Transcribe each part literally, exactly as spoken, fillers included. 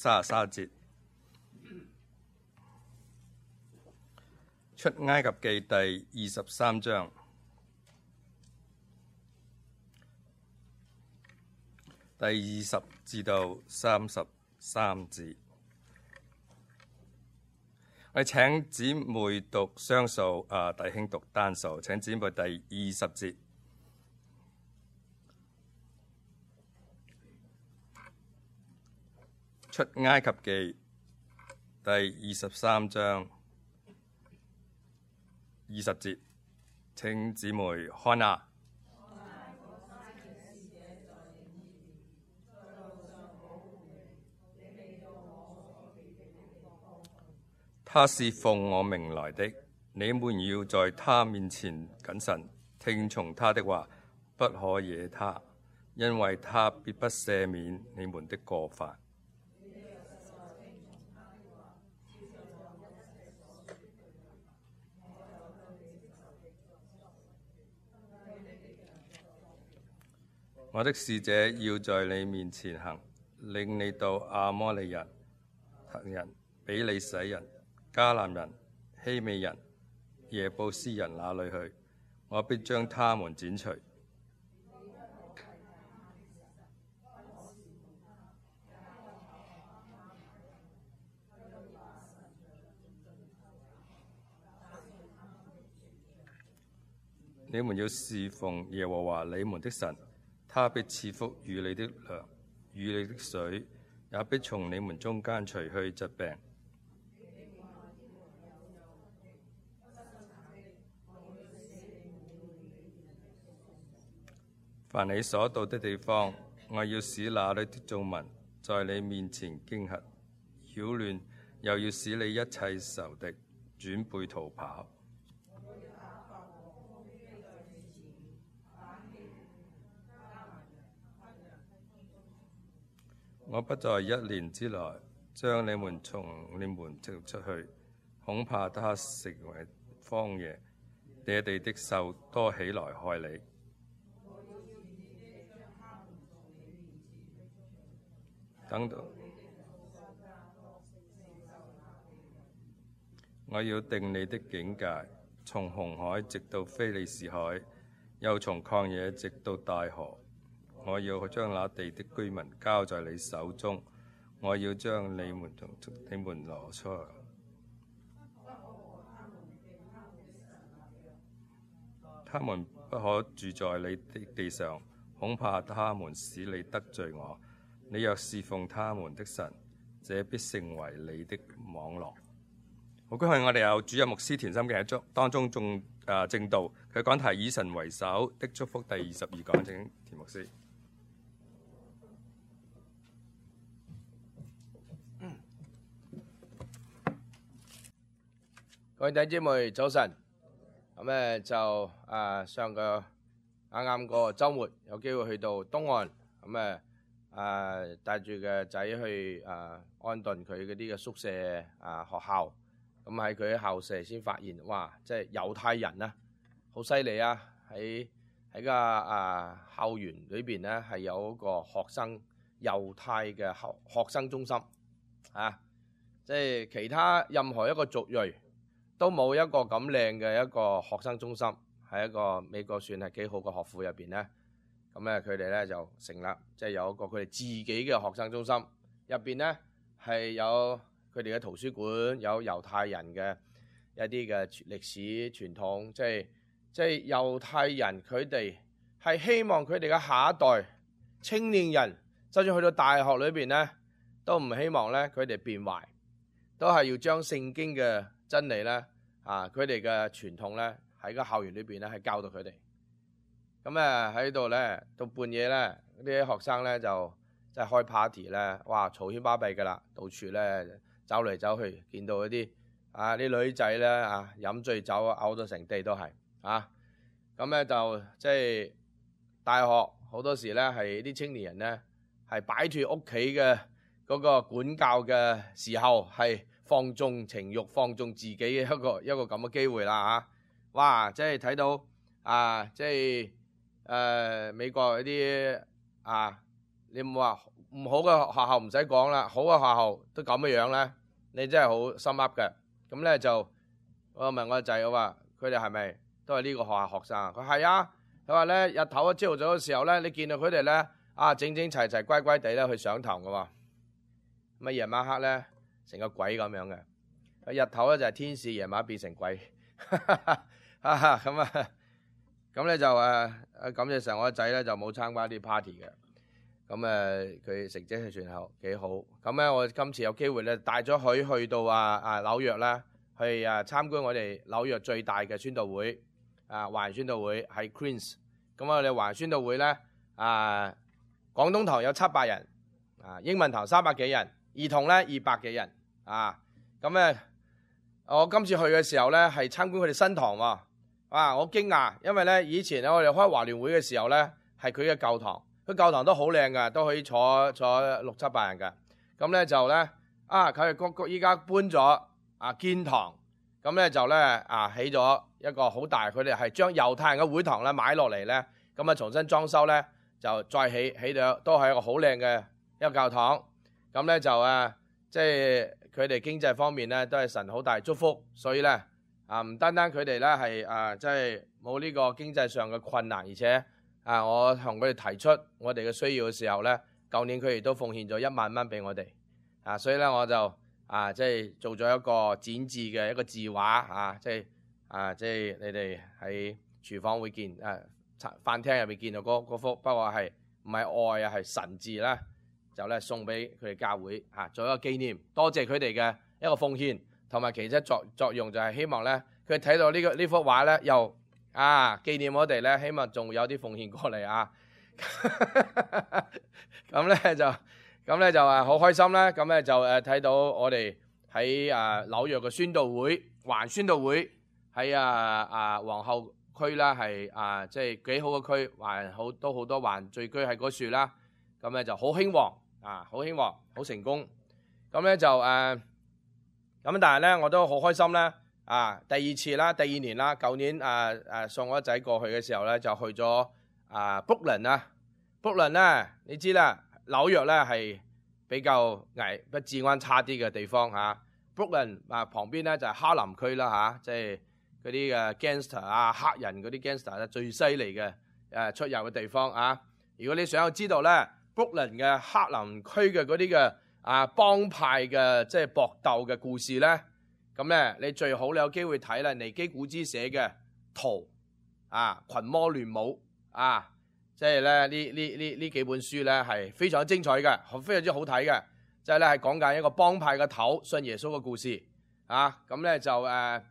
三十三節。出埃及記第二十三章第二十至到三十三節。我哋請姊妹讀雙數，啊弟兄讀單數。請姊妹第二十節。出埃及記第二十三章二十節，請姊妹看啊。他是奉我名來的，你們要在他面前謹慎，聽從他的話，不可惹他，因為他必不赦免你們的過犯。我的使者要在你面前行，領你到亞摩利人、赫人、比利洗人、迦南人、希美人、耶布斯人那裏去，我必將他們剪除。你們要侍奉耶和華你們的神，他必賜福與你的糧，與你的水，也必從你們中間除去疾病。凡你所到的地方，我要使那裏的眾民在你面前驚嚇、擾亂，又要使你一切仇敵轉背逃跑。我不在一年之內將你們從你們召出去，恐怕他成為荒野，野地的獸多起來害你。等到我要定你的境界，從紅海直到非利士海，又從曠野直到大河。我要將那地的居民交在你手中，我要將你們從你們攞出來。他們不可住在你的地上，恐怕他們使你得罪我。你若侍奉他們的神，這必成為你的網絡。好，今日我哋有主任牧師田心嘅喺當中仲誒證道，佢講題以神為首的祝福第二十二講，請田牧師。各位弟兄姊妹早晨，咁咧就啊上個啱啱個週末有機會去到東岸，咁誒啊帶住個仔去啊安頓佢嗰啲嘅宿舍啊學校，咁喺佢喺校舍先發現，哇！即係猶太人啊，好犀利啊！喺喺個啊校園裏邊咧係有一個學生猶太嘅學學生中心啊，即係其他任何一個族裔都冇一個咁靚嘅一個學生中心，喺一個美國算係幾好嘅學府入邊咧。咁咧佢哋咧就成立，即係有一個佢哋自己嘅學生中心，入邊咧係有佢哋嘅圖書館，有猶太人嘅一啲嘅歷史傳統，即係即係猶太人佢哋係希望佢哋嘅下一代青年人，就算去到大學裏邊咧，都唔希望咧佢哋變壞，都係要將聖經嘅真理咧，啊，佢哋嘅傳統咧喺個校園裏邊咧係教導佢哋。咁咧喺度咧到半夜咧，呢啲學生咧就即係開 party 咧，哇嘈喧巴閉㗎啦，到處咧走嚟走去，見到嗰啲啊啲女仔咧啊飲醉酒嘔到成地都係啊。咁咧就即係大學好多時咧係啲青年人咧係擺脱屋企嘅嗰個管教嘅時候，係放縱情慾、放縱自己嘅一個一個咁嘅機會啦嚇！哇！即係睇到啊，即係誒、呃、美國嗰啲啊，你冇話唔好嘅學校唔使講啦，好嘅學校都咁嘅樣咧，你真係好心噏嘅。咁咧就我問我個仔，我話佢哋係咪都係呢個學校學生？佢係啊，佢話咧日頭啊朝頭早嘅時候咧，你見到佢哋咧啊整整齊齊乖乖地咧去上堂嘅喎，咁啊夜晚黑咧成個鬼咁樣嘅。日頭咧就係天使，夜晚變成鬼。啊咁啊，咁咧就誒誒感謝神，我個仔咧就冇參加啲 party 嘅。咁誒佢成績係算好幾好。咁咧我今次有機會咧帶咗佢去到啊啊紐約啦，去啊參觀我哋紐約最大嘅宣道會啊華人宣道會喺 Queens。咁我哋華人宣道會咧啊廣東堂有七百人，啊英文堂三百幾人，兒童咧二百幾人啊。咁咧我今次去嘅時候咧係參觀佢哋新堂喎。啊我驚訝，因為咧以前咧我哋開華聯會嘅時候咧係佢嘅舊堂。佢教堂都好靚噶，都可以坐坐六七百人噶。咁咧就咧啊，佢哋個個依家搬咗啊建堂，咁咧就咧啊起咗一個好大。佢哋係將猶太人嘅會堂咧買落嚟咧，咁啊重新裝修咧，就再起起到都係一個好靚嘅一個教堂。咁咧就啊，即係佢哋經濟方面咧都係神好大祝福，所以咧啊唔單單佢哋咧係啊即係冇呢個經濟上嘅困難，而且。啊！我同佢哋提出我哋嘅需要嘅時候咧，舊年佢哋都奉獻咗一萬蚊俾我哋，啊！所以咧我就啊即係做咗一個展示嘅一個字畫啊，即係啊即係你哋喺廚房會見啊飯廳入邊見到嗰嗰幅，不過係唔係愛啊係神字啦，就咧送俾佢哋教會啊，做一個紀念，多謝佢哋嘅一個奉獻，同埋其實作作用就係希望咧佢睇到呢個呢幅畫咧又。啊！紀念我哋咧，希望仲有啲奉獻過嚟啊！咁咧就咁咧就誒好開心啦！咁咧就誒睇到我哋喺誒紐約嘅宣道會，環宣道會喺啊啊皇后區啦，係啊即係幾好嘅區，環好都好多環聚居喺嗰處啦。咁咧就好興旺啊，好興旺，好成功。咁咧就誒咁，但係咧我都好開心咧。啊，第二次啦，第二年啦，舊年啊啊送我仔過去嘅時候咧，就去咗啊 Brooklyn 啦 Brooklyn 咧，你知啦，紐約咧係比較危不治安差啲嘅地方嚇。Brooklyn 啊旁邊咧就係哈林區啦嚇，即係嗰啲嘅 gangster 啊黑人嗰啲 gangster 咧最犀利嘅誒出入嘅地方啊。如果你想要知道咧 Brooklyn 嘅黑林區嘅嗰啲嘅啊幫派嘅即係搏鬥嘅故事咧。咁咧，你最好你有機會睇啦，尼基古茲寫嘅《圖》啊，群魔亂舞啊，即係咧呢呢呢呢幾本書咧係非常之精彩嘅，非常之好睇嘅，即係咧係講緊一個幫派嘅頭信耶穌嘅故事啊。咁咧就誒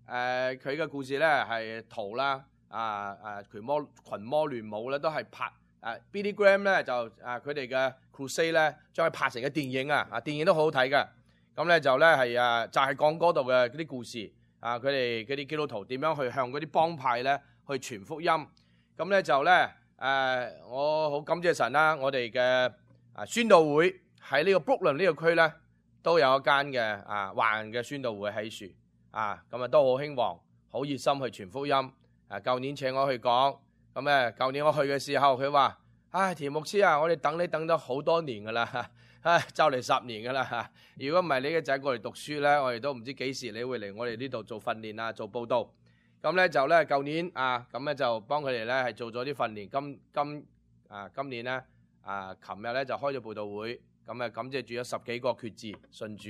誒佢嘅故事咧係《圖》啦，啊啊群魔群魔亂舞咧都係拍誒 Billy Graham 咧就啊佢哋嘅 Crusade 咧將佢拍成嘅電影啊，啊電影都好好睇嘅。咁咧就咧係啊，就係講嗰度嘅嗰啲故事啊，佢哋嗰啲基督徒點樣去向嗰啲幫派咧去傳福音。咁咧就咧誒，我好感謝神啦，我哋嘅啊宣道會喺呢個 Brooklyn 呢個區咧都有一間嘅啊華人嘅宣道會喺樹啊，咁啊都好興旺，好熱心去傳福音。啊，舊年請我去講，咁咧舊年我去嘅時候，佢話：唉，田牧師啊，我哋等你等咗好多年噶啦。唉，就嚟十年噶啦！如果唔係你嘅仔過嚟讀書咧，我哋都唔知幾時你會嚟我哋呢度做訓練啊，做報道。咁咧就咧，舊年啊，咁咧就幫佢哋咧係做咗啲訓練。今今啊，今年咧啊，琴日咧就開咗報道會，咁啊感謝住咗十幾個決志信主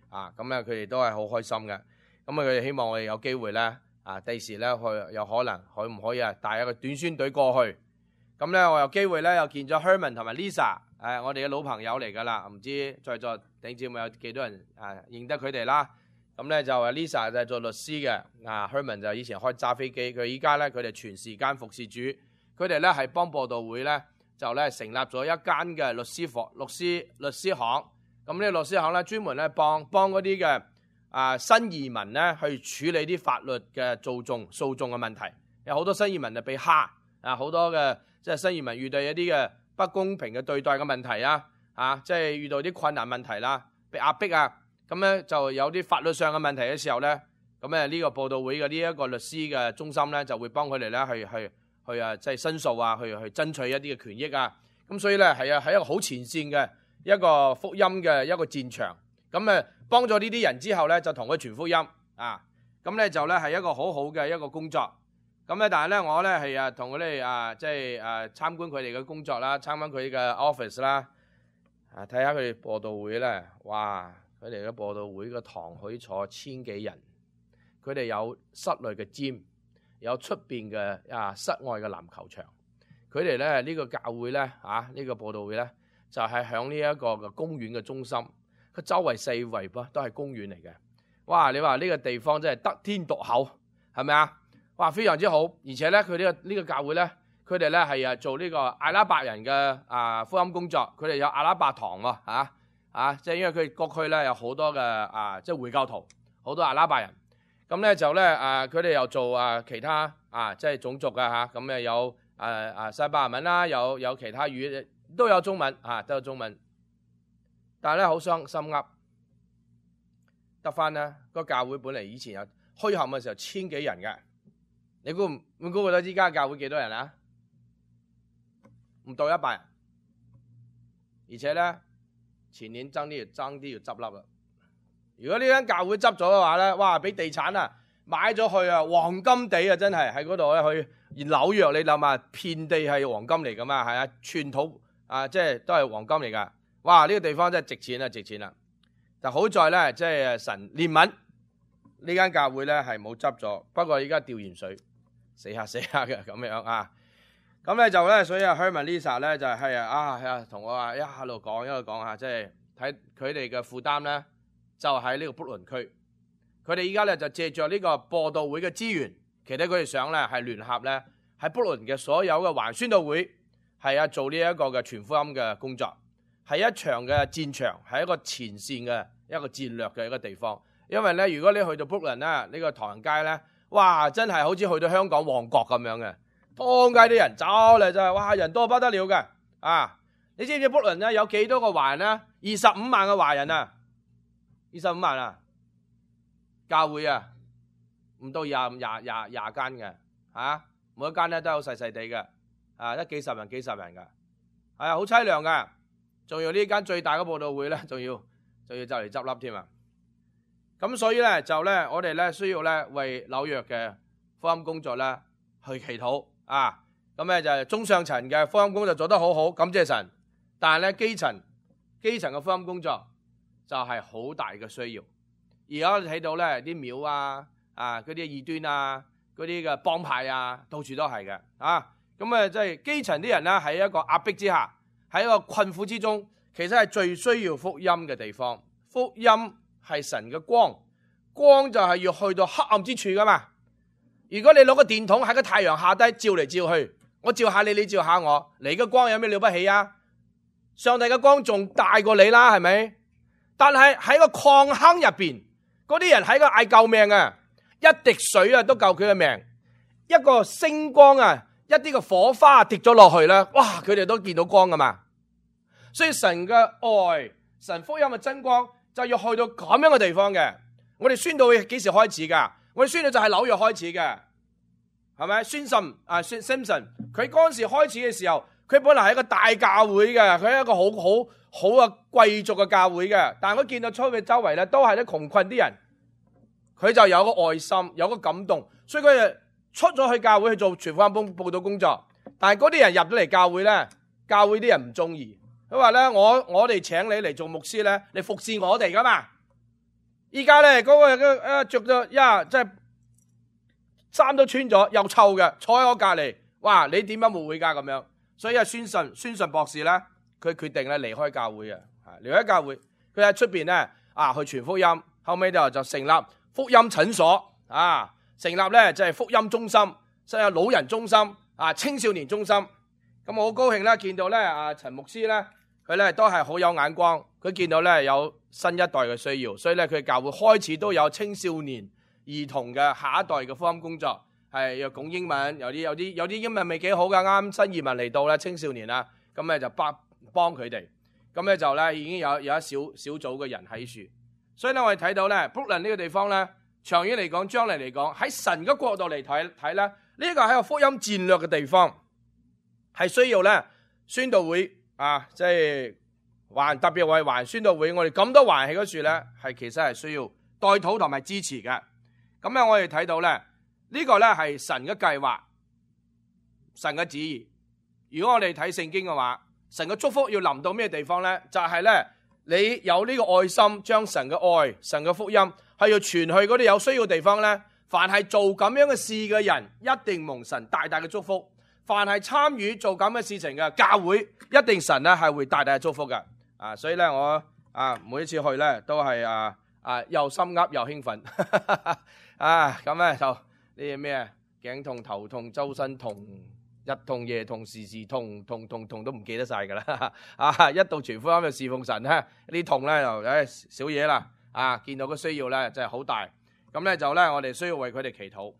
啊，咁咧佢哋都係好開心嘅。咁啊，佢哋希望我哋有機會咧啊，第時咧去有可能可唔可以啊帶一個短宣隊過去。咁咧我有機會咧又見咗 Herman 同埋 Lisa。誒，我哋嘅老朋友嚟㗎啦，唔知在座弟兄姊妹有幾多人啊認得佢哋啦？咁咧就 Lisa 就係做律師嘅，啊 Herman 就以前開揸飛機，佢依家咧佢哋全時間服侍主，佢哋咧係幫播道會咧就咧成立咗一間嘅律師房、律師律師行。咁呢個律師行咧專門咧幫幫嗰啲嘅啊新移民咧去處理啲法律嘅訴訟訴訟嘅問題。有好多新移民就被蝦啊，好多嘅即係新移民遇到一啲嘅不公平嘅對待嘅問題啊，啊，即係遇到啲困難問題啦，被壓迫啊，咁咧就有啲法律上嘅問題嘅時候咧，咁咧呢個報道會嘅呢一個律師嘅中心咧就會幫佢哋咧去去去啊，即係申訴啊，去去爭取一啲嘅權益啊，咁所以咧係啊係一個好前線嘅一個福音嘅一個戰場。咁誒幫咗呢啲人之後咧，就同佢傳福音啊。咁咧就咧係一個好好嘅一個工作。咁咧但係咧我咧係啊同佢哋啊即係誒參觀佢哋嘅工作啦，參觀佢嘅 office 啦，啊睇下佢哋播道會咧，哇！佢哋嘅播道會個堂可以坐千幾人，佢哋有室內嘅 gym，有出邊嘅啊室外嘅籃球場。佢哋咧呢個教會咧啊呢個播道會咧就係響呢一個嘅公園嘅中心，佢周圍四圍噃都係公園嚟嘅。哇！你話呢個地方真係得天獨厚，係咪啊？哇！非常之好，而且咧佢呢個呢個教會咧，佢哋咧係啊做呢個阿拉伯人嘅啊福音工作，佢哋有阿拉伯堂喎嚇。啊，即係因為佢各區咧有好多嘅啊，即係回教徒，好多阿拉伯人。咁咧就咧啊，佢哋又做啊其他啊，即係種族嘅嚇。咁誒有啊啊西班牙文啦，有有其他語都有中文啊，都有中文。但係咧好傷心噏，得翻咧個教會本嚟以前有墟冚嘅時候千幾人嘅，你估唔你估到依家教會幾多人啊？唔到一百人，而且咧。前年爭啲要爭啲要執笠啦！如果呢間教會執咗嘅話咧，哇！俾地產啊買咗去啊，黃金地啊，真係喺嗰度咧去。而紐約你諗下，遍地係黃金嚟噶嘛，係啊，寸土啊，即係都係黃金嚟噶。哇！呢個地方真係值錢啊，值錢啦！但好在咧，即係神憐憫呢間教會咧係冇執咗，不過依家吊鹽水，死下死下嘅咁樣啊！咁咧就咧，所以啊，Herman Lisa 咧就係啊啊，同我話一路講一路講下，即係睇佢哋嘅負擔咧，就喺呢個卜倫區。佢哋依家咧就借着呢個播道會嘅資源，其實佢哋想咧係聯合咧喺卜倫嘅所有嘅華人宣道會，係啊做呢一個嘅傳福音嘅工作，係一場嘅戰場，係一個前線嘅一個戰略嘅一個地方。因為咧，如果你去到卜倫咧，呢個唐人街咧，哇，真係好似去到香港旺角咁樣嘅。當街啲人走嚟就係，哇！人多不得了嘅啊！你知唔知卜倫咧有幾多個華人啊？二十五萬嘅華人啊，二十五萬啊！教會啊，唔到廿廿廿廿間嘅嚇，每一間咧都好細細地嘅啊，一幾十人幾十人嘅，係啊，好凄涼嘅。仲要呢間最大嘅佈道會咧，仲要仲要就嚟執笠添啊！咁所以咧就咧，我哋咧需要咧為紐約嘅福音工作咧去祈禱。啊，咁咧就係中上層嘅福音工作做得好好，感謝神。但係咧基層基層嘅福音工作就係好大嘅需要。而家我哋睇到咧啲廟啊，啊嗰啲異端啊，嗰啲嘅幫派啊，到處都係嘅。啊，咁啊即係基層啲人咧喺一個壓迫之下，喺一個困苦之中，其實係最需要福音嘅地方。福音係神嘅光，光就係要去到黑暗之處噶嘛。如果你攞個電筒喺個太陽下低照嚟照去，我照下你，你照下我，你嘅光有咩了不起啊？上帝嘅光仲大過你啦，係咪？但係喺個礦坑入邊，嗰啲人喺個嗌救命啊，一滴水啊都救佢嘅命，一個星光啊，一啲嘅火花跌咗落去啦，哇！佢哋都見到光噶嘛。所以神嘅愛，神福音嘅真光就要去到咁樣嘅地方嘅。我哋宣道會幾時開始噶？我哋宣道就係紐約開始嘅，係咪？宣信啊，Simpson，佢嗰陣時開始嘅時候，佢本來係一個大教會嘅，佢係一個好好好嘅貴族嘅教會嘅。但係我見到出去周圍咧，都係啲窮困啲人，佢就有個愛心，有個感動，所以佢就出咗去教會去做傳福音佈道工作。但係嗰啲人入咗嚟教會咧，教會啲人唔中意，佢話咧：我我哋請你嚟做牧師咧，你服侍我哋噶嘛？依家咧嗰個誒着咗呀，即係衫都穿咗，又臭嘅，坐喺我隔籬，哇！你點樣牧會噶咁樣？所以啊，宣信宣信博士咧，佢決定咧離開教會嘅，離開教會，佢喺出邊咧啊去傳福音，後尾就就成立福音診所啊，成立咧就係福音中心，即係老人中心啊，青少年中心。咁我好高興咧，見到咧啊陳牧師咧，佢咧都係好有眼光，佢見到咧有新一代嘅需要，所以咧佢教會開始都有青少年兒童嘅下一代嘅福音工作，係又講英文，有啲有啲有啲英文未幾好噶，啱新移民嚟到咧青少年啦，咁咧就幫幫佢哋，咁咧就咧已經有有一小小組嘅人喺處，所以咧我哋睇到咧布倫呢個地方咧，長遠嚟講，將來嚟講，喺神嘅角度嚟睇睇咧，呢個係一個福音戰略嘅地方，係需要咧宣道會啊，即係環特別為環宣道會，我哋咁多環喺嗰處咧，係其實係需要代禱同埋支持嘅。咁咧，我哋睇到咧，呢個咧係神嘅計劃，神嘅旨意。如果我哋睇聖經嘅話，神嘅祝福要臨到咩地方咧？就係咧，你有呢個愛心，將神嘅愛、神嘅福音係要傳去嗰啲有需要嘅地方咧。凡係做咁樣嘅事嘅人，一定蒙神大大嘅祝福。凡係參與做咁嘅事情嘅教會，一定神咧係會大大嘅祝福嘅。啊，所以咧我啊每一次去咧都係啊啊又心噏又興奮啊，咁咧就呢啲咩頸痛頭痛周身痛日痛夜痛時時痛痛痛痛都唔記得晒噶啦啊！一到全福音就侍奉神咧，呢啲痛咧就誒少嘢啦啊！見到個需要咧真係好大，咁咧就咧我哋需要為佢哋祈禱。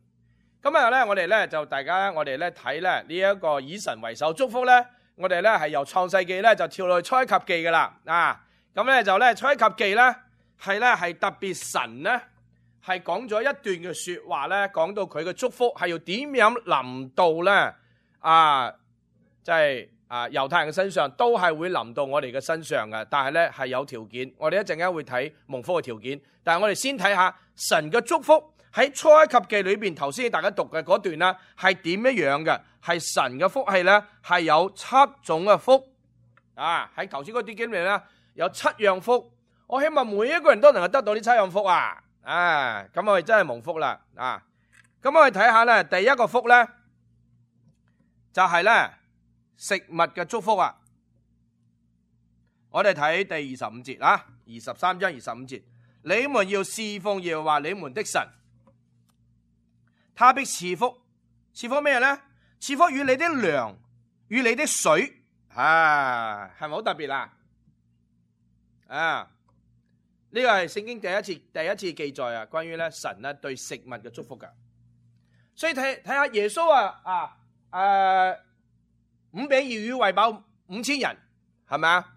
今日咧我哋咧就大家我哋咧睇咧呢一個以神為首祝福咧。我哋咧係由創世記咧就跳到去出埃及記噶啦，啊，咁咧就咧出埃及記咧係咧係特別神咧係講咗一段嘅說話咧，講到佢嘅祝福係要點樣臨到咧啊，即係啊猶太人嘅身上，都係會臨到我哋嘅身上嘅，但係咧係有條件，我哋一陣間會睇蒙福嘅條件，但係我哋先睇下神嘅祝福。喺出埃及記裏邊，頭先大家讀嘅嗰段啦，係點樣樣嘅？係神嘅福氣咧，係有七種嘅福啊！喺頭先嗰啲經歷咧，有七樣福。我希望每一個人都能夠得到呢七樣福啊！啊，咁我哋真係蒙福啦啊！咁我哋睇下咧，第一個福咧，就係咧食物嘅祝福啊！我哋睇第二十五節啊，二十三章二十五節，你們要侍奉耶和華你們的神。他必賜福，賜福咩咧？賜福與你的糧，與你的水，啊，係咪好特別啊？啊，呢個係聖經第一次第一次記載啊，關於咧神咧對食物嘅祝福噶。所以睇睇下耶穌啊啊誒，五餅二魚餵飽五千人，係咪啊？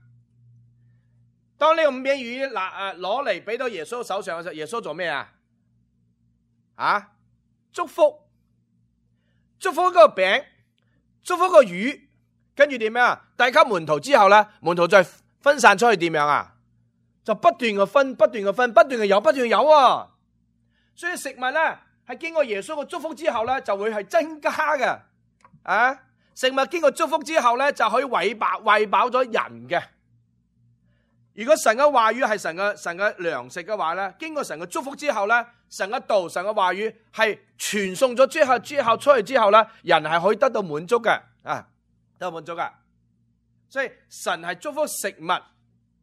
當呢個五餅二魚嗱誒攞嚟俾到耶穌手上嘅時候，耶穌做咩啊？啊？祝福，祝福嗰個餅，祝福個魚，跟住點樣啊？遞給門徒之後咧，門徒再分散出去點樣啊？就不斷嘅分，不斷嘅分，不斷嘅有，不斷嘅有啊！所以食物咧係經過耶穌嘅祝福之後咧，就會係增加嘅啊！食物經過祝福之後咧，就可以餵飽餵飽咗人嘅。如果神嘅話語係神嘅神嘅糧食嘅話咧，經過神嘅祝福之後咧，神嘅道、神嘅話語係傳送咗之後，之後出去之後咧，人係可以得到滿足嘅啊，得到滿足噶。所以神係祝福食物，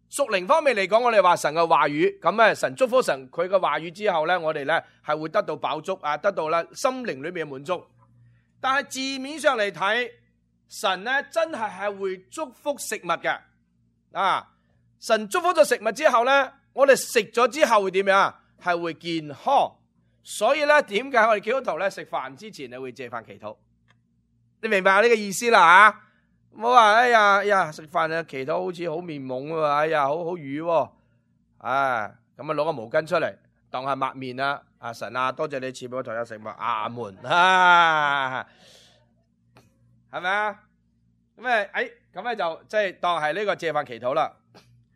屬靈方面嚟講，我哋話神嘅話語，咁咧神祝福神佢嘅話語之後咧，我哋咧係會得到飽足啊，得到咧心靈裏面嘅滿足。但係字面上嚟睇，神咧真係係會祝福食物嘅啊。神祝福咗食物之後咧，我哋食咗之後會點樣啊？係會健康。所以咧，點解我哋基督徒咧食飯之前你會借飯祈禱？你明白呢個意思啦吓？唔好話哎呀哎呀食飯啊祈禱好似好面懵喎，哎呀好好瘀喎，啊咁啊攞個毛巾出嚟當係抹面啦。啊神啊，多謝你賜俾我台有食物，阿門啊，係咪啊？咁誒誒咁咧就即係當係呢個借飯祈禱啦。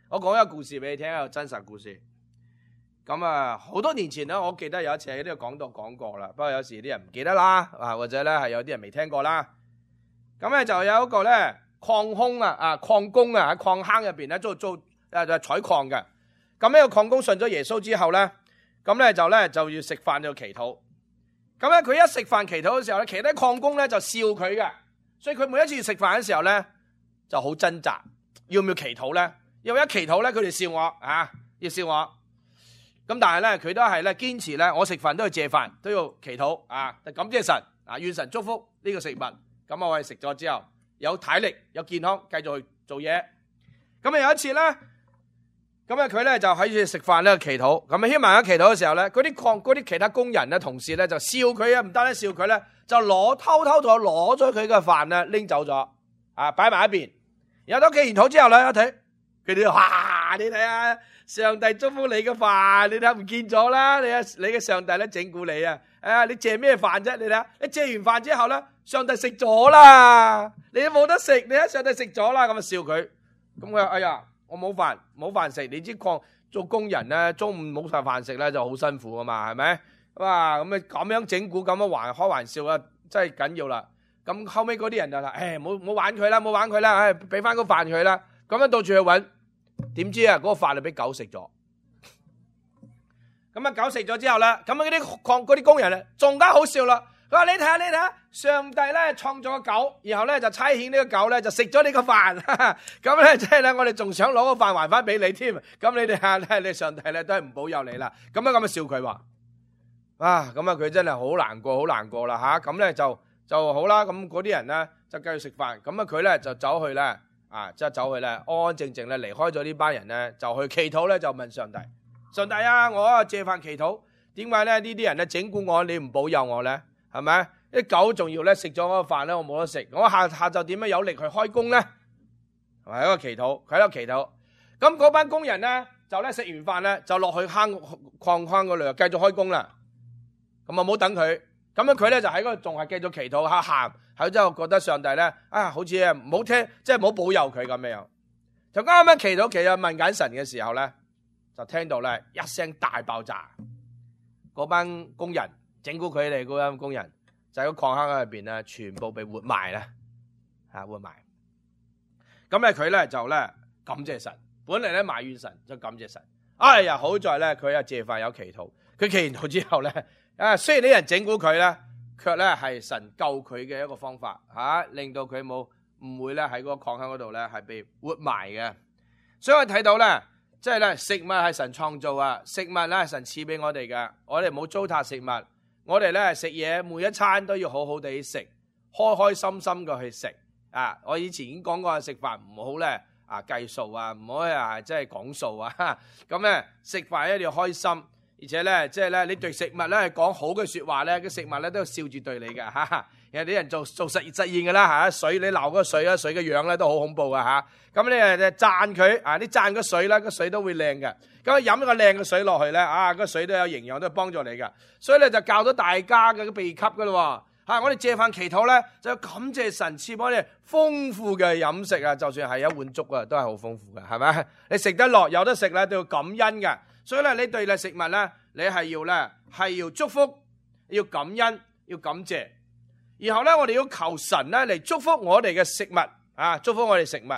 我講一個故事俾你聽，一個真實故事。咁啊，好多年前咧，我記得有一次喺呢個講道講過啦。不過有時啲人唔記得啦，啊或者咧係有啲人未聽過啦。咁咧就有一個咧礦工啊，啊礦工啊喺礦坑入邊咧做做誒採礦嘅。咁呢個礦工信咗耶穌之後咧，咁咧就咧就要食飯就祈禱。咁咧佢一食飯祈禱嘅時候咧，其他礦工咧就笑佢嘅，所以佢每一次食飯嘅時候咧就好掙扎，要唔要祈禱咧？因為一祈禱咧，佢哋笑我啊，要笑我。咁但係咧，佢都係咧堅持咧，我食飯都要借飯，都要祈禱啊，感謝神啊，願神祝福呢個食物。咁我哋食咗之後，有體力，有健康，繼續去做嘢。咁啊有一次咧，咁啊佢咧就喺住食飯咧祈禱。咁啊希望喺祈禱嘅時候咧，嗰啲礦嗰啲其他工人咧、同事咧就笑佢啊，唔單止笑佢咧，就攞偷偷咗攞咗佢嘅飯咧拎走咗，啊擺埋一邊。然後到祈完禱之後咧，一睇。佢哋哇！你睇下，上帝祝福你嘅飯，你睇唔見咗啦！你啊，你嘅上帝咧整蠱你啊！誒，你借咩飯啫？你睇下，你借完飯之後咧，上帝食咗啦！你都冇得食，你睇上帝食咗啦，咁啊笑佢。咁佢話：哎呀，我冇飯冇飯食。你知礦做工人咧，中午冇晒飯食咧就好辛苦啊嘛，係咪？哇！咁啊咁樣整蠱咁樣玩開玩笑啊，真係緊要啦。咁後尾嗰啲人就話：誒，冇冇玩佢啦，冇玩佢啦，誒，俾翻個飯佢啦。咁樣到處去揾，點知啊嗰個飯就俾狗食咗。咁啊狗食咗之後咧，咁啊嗰啲礦嗰啲工人啊，仲加好笑啦。佢話：你睇下，你睇下，上帝咧創造個狗，然後咧就差遣呢個狗咧就食咗你個飯。咁咧即係咧，我哋仲想攞個飯還翻俾你添。咁你哋下咧，你上帝咧都係唔保佑你啦。咁樣咁啊笑佢話：啊，咁啊佢真係好難過，好難過啦吓。咁咧就就好啦。咁嗰啲人咧就繼續食飯。咁啊佢咧就走去咧啊，即係走去咧安安靜靜咧離開咗呢班人咧，就去祈禱咧，就問上帝：上帝啊，我啊借飯祈禱，點解咧呢啲人咧整蠱我，你唔保佑我咧？係咪？啲狗仲要咧食咗嗰個飯咧，我冇得食。我下下晝點樣有力去開工咧？係咪一個祈禱？佢喺度祈禱。咁嗰班工人咧就咧食完飯咧就落去坑礦坑嗰度繼續開工啦。咁啊冇等佢，咁樣佢咧就喺嗰度仲係繼續祈禱下喊，喺之後覺得上帝咧啊好似啊唔好聽，即係唔好保佑佢咁樣。就啱啱祈禱祈禱問緊神嘅時候咧，就聽到咧一聲大爆炸，嗰班工人。整蠱佢哋嗰班工人就喺個礦坑入邊咧，全部被活埋啦，吓活埋。咁咧佢咧就咧感謝神，本嚟咧埋怨神，就感謝神。哎呀，好在咧佢啊借飯有祈禱，佢祈完禱之後咧，啊雖然啲人整蠱佢咧，卻咧係神救佢嘅一個方法，吓、啊、令到佢冇唔會咧喺嗰個礦坑嗰度咧係被活埋嘅。所以我睇到咧。即係咧，食物係神創造啊，食物咧係神賜俾我哋嘅，我哋唔好糟蹋食物，我哋咧食嘢每一餐都要好好地食，開開心心嘅去食啊！我以前已經講過，食飯唔好咧啊計數啊，唔好啊即係講數啊，咁咧食飯一定要開心，而且咧即係咧你對食物咧係講好嘅說話咧，個食物咧都笑住對你嘅吓。有啲人做做實驗實驗嘅啦吓，水你鬧嗰個水啊，水嘅樣咧都好恐怖噶吓。咁你誒讚佢啊，你讚個水啦，個水都會靚嘅。咁飲一個靚嘅水落去咧，啊個水都有營養，都係幫助你嘅。所以咧就教到大家嘅秘笈噶咯。吓，我哋借飯祈禱咧，就感謝神賜幫你豐富嘅飲食啊，就算係一碗粥啊，都係好豐富嘅，係咪？你食得落，有得食咧，都要感恩嘅。所以咧，你對你食物咧，你係要咧係要祝福，要感恩，要感謝。然後咧，我哋要求神咧嚟祝福我哋嘅食物啊，祝福我哋食物。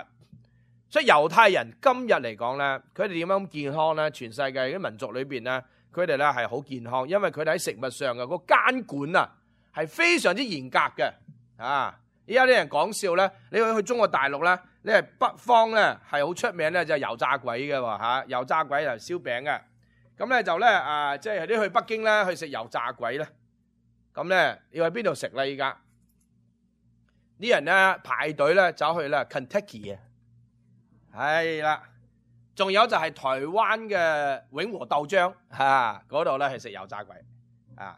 所以猶太人今日嚟講咧，佢哋點樣咁健康咧？全世界啲民族裏邊咧，佢哋咧係好健康，因為佢哋喺食物上嘅個監管啊，係非常之嚴格嘅。啊，而家啲人講笑咧，你去去中國大陸咧，你係北方咧係好出名咧，就係油炸鬼嘅喎嚇，油炸鬼就燒餅嘅。咁咧就咧啊，即係啲去北京咧去食油炸鬼咧。咁咧要喺邊度食咧？依家啲人咧排隊咧走去咧 Kentucky 啊，係啦，仲有就係台灣嘅永和豆漿嚇，嗰度咧係食油炸鬼啊。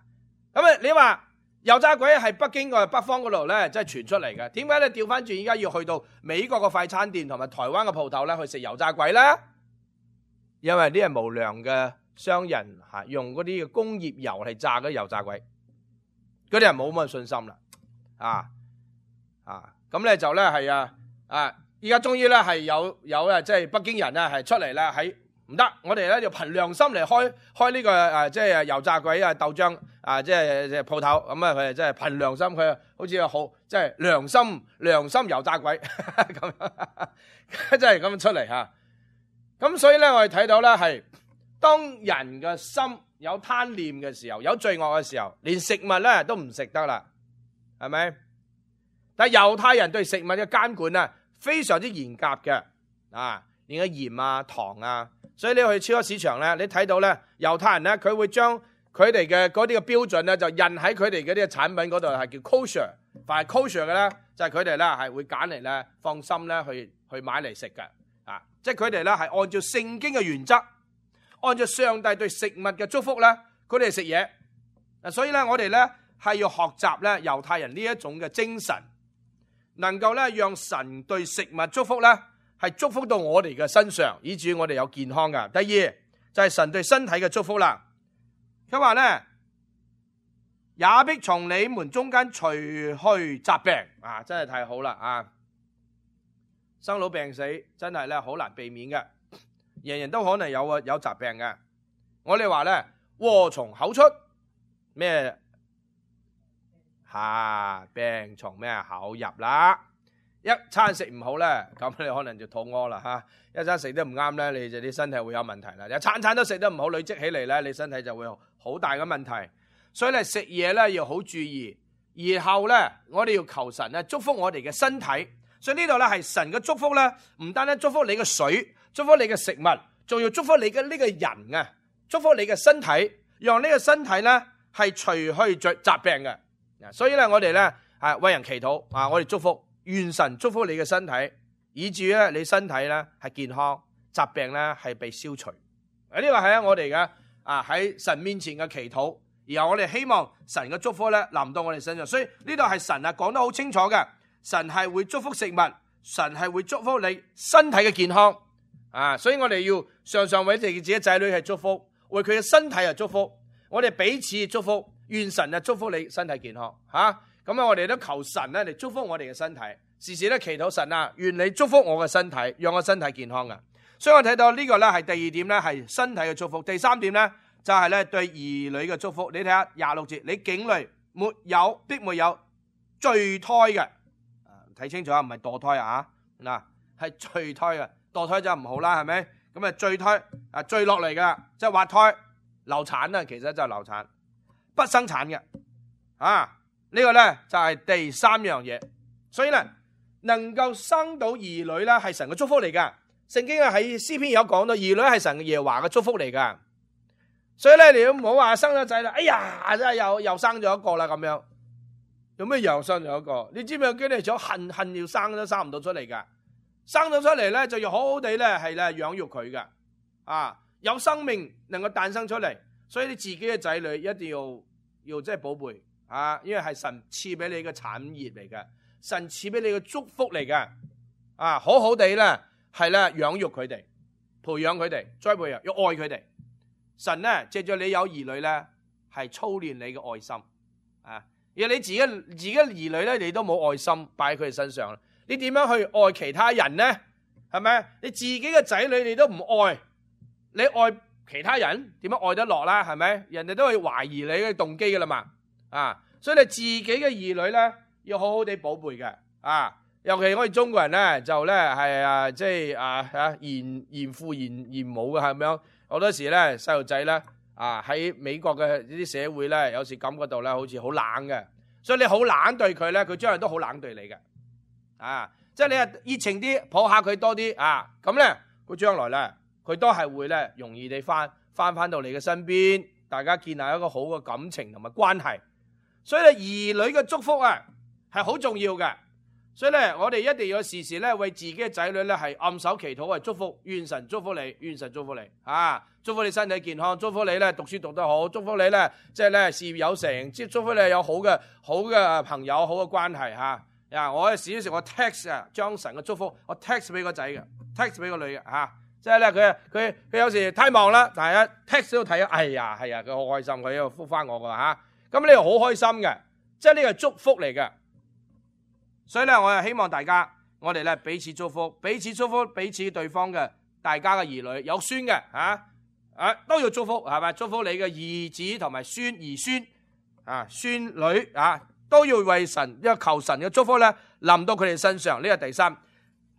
咁啊，你話油炸鬼係北京個北方嗰度咧，即係傳出嚟嘅。點解咧調翻轉依家要去到美國嘅快餐店同埋台灣嘅鋪頭咧去食油炸鬼咧？因為啲人無良嘅商人嚇用嗰啲嘅工業油嚟炸嗰啲油炸鬼。嗰啲人冇乜信心啦，啊啊，咁咧就咧係啊啊，而家終於咧係有有啊，即係北京人咧係出嚟咧喺唔得，我哋咧就憑良心嚟開開呢個誒即係油炸鬼啊豆漿啊即係即係鋪頭，咁啊佢哋即係憑良心，佢好似好即係良心良心油炸鬼咁樣，真係咁出嚟嚇。咁所以咧我哋睇到咧係當人嘅心有貪念嘅時候，有罪惡嘅時候，連食物咧都唔食得啦，係咪？但係猶太人對食物嘅監管啊，非常之嚴格嘅，啊，連個鹽啊、糖啊，所以你去超級市場咧，你睇到咧，猶太人咧，佢會將佢哋嘅嗰啲嘅標準咧，就印喺佢哋嗰啲嘅產品嗰度，係叫 kosher， 凡係 kosher 嘅咧，就係佢哋咧係會揀嚟咧放心咧去去買嚟食嘅，啊，即係佢哋咧係按照聖經嘅原則。按照上帝對食物嘅祝福咧，佢哋食嘢。嗱，所以咧，我哋咧係要學習咧猶太人呢一種嘅精神，能夠咧讓神對食物祝福咧，係祝福到我哋嘅身上，以至於我哋有健康噶。第二就係神對身體嘅祝福啦。佢話咧，也必從你們中間除去疾病啊，真係太好啦啊！生老病死真係咧好難避免嘅，人人都可能有啊有疾病嘅。我哋話咧禍從口出，咩吓、啊、病從咩口入啦？一餐食唔好咧，咁你可能就肚屙啦吓；一餐食得唔啱咧，你就啲身體會有問題啦。一餐餐都食得唔好，累積起嚟咧，你身體就會有好大嘅問題。所以咧食嘢咧要好注意，然後咧我哋要求神咧祝福我哋嘅身體。所以呢度咧係神嘅祝福咧，唔單單祝福你嘅水，祝福你嘅食物，仲要祝福你嘅呢個人啊，祝福你嘅身體，讓呢個身體咧係除去疾疾病嘅。所以咧我哋咧係為人祈禱啊，我哋祝福。願神祝福你嘅身體，以至咧你身體咧係健康，疾病咧係被消除。啊，呢個係我哋嘅啊喺神面前嘅祈禱，然後我哋希望神嘅祝福咧臨到我哋身上。所以呢度係神啊講得好清楚嘅，神係會祝福食物，神係會祝福你身體嘅健康啊。所以我哋要常常為自己嘅仔女係祝福，為佢嘅身體係祝福，我哋彼此祝福，願神啊祝福你身體健康吓。咁啊，我哋都求神咧嚟祝福我哋嘅身體，時時咧祈禱神啊，願你祝福我嘅身體，讓我身體健康嘅。所以我睇到呢個咧係第二點咧係身體嘅祝福，第三點咧就係咧對兒女嘅祝福。你睇下廿六節，你境內沒有必沒有墜胎嘅，睇清楚啊，唔係墮胎啊，嗱係墜胎嘅，墮胎就唔好啦，係咪？咁啊墜胎啊墜落嚟嘅，即係滑胎、流產啊，其實就係流產，不生產嘅啊。呢個咧就係第三樣嘢，所以咧能夠生到兒女咧係神嘅祝福嚟噶。聖經啊喺詩篇有講到兒女係神嘅耶和華嘅祝福嚟噶。所以咧你都唔好話生咗仔啦，哎呀真係又又生咗一個啦咁樣，有咩又生咗一個？你知唔知有幾多人恨恨要生都生唔到出嚟噶？生咗出嚟咧就要好好地咧係咧養育佢噶，啊有生命能夠誕生出嚟，所以你自己嘅仔女一定要要即係寶貝。啊，因為係神賜俾你嘅產業嚟嘅，神賜俾你嘅祝福嚟嘅，啊，好好地咧，係咧養育佢哋，培養佢哋，栽培啊，要愛佢哋。神咧借住你有兒女咧，係操練你嘅愛心，啊，而你自己自己兒女咧，你都冇愛心擺喺佢哋身上，你點樣去愛其他人呢？係咪？你自己嘅仔女你都唔愛，你愛其他人點樣愛得落啦？係咪？人哋都會懷疑你嘅動機噶啦嘛。啊，所以你自己嘅兒女咧，要好好地寶貝嘅，啊，尤其我哋中國人咧，就咧係啊，即係啊啊嚴嚴父嚴嚴母嘅，係咪樣？好多時咧，細路仔咧，啊喺美國嘅呢啲社會咧，有時感覺到咧，好似好冷嘅，所以你好冷對佢咧，佢將來都好冷對你嘅，啊，即係你啊熱情啲抱下佢多啲，啊，咁咧佢將來咧，佢都係會咧容易地翻翻翻到你嘅身邊，大家建立一個好嘅感情同埋關係。所以咧，兒女嘅祝福啊，係好重要嘅。所以咧，我哋一定要時時咧為自己嘅仔女咧係按手祈禱，係祝福，願神祝福你，願神祝福你，啊，祝福你身體健康，祝福你咧讀書讀得好，祝福你咧即係咧事業有成，即祝福你有好嘅好嘅朋友，好嘅關係吓。啊，我有時時我 text 啊，將神嘅祝福我 text 俾個仔嘅 ，text 俾個女嘅吓。即係咧，佢佢佢有時太忙啦，但係一 text 都睇，哎呀，係啊，佢好開心，佢又覆翻我噶吓。咁呢個好開心嘅，即係呢個祝福嚟嘅。所以咧，我係希望大家，我哋咧彼此祝福，彼此祝福彼此對方嘅，大家嘅兒女有孫嘅啊，啊都要祝福，係咪？祝福你嘅兒子同埋孫兒孫啊孫女啊，都要為神，因為求神嘅祝福咧臨到佢哋身上。呢個第三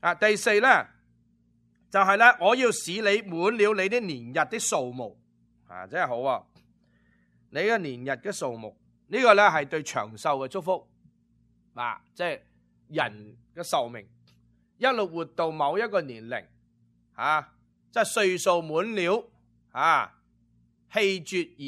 啊，第四咧就係咧，我要使你滿了你的年日的數目啊，真係好啊！你嘅年日嘅數目，呢個咧係對長壽嘅祝福，啊，即係人嘅壽命一路活到某一個年齡，啊，即係歲數滿了，啊，氣絕而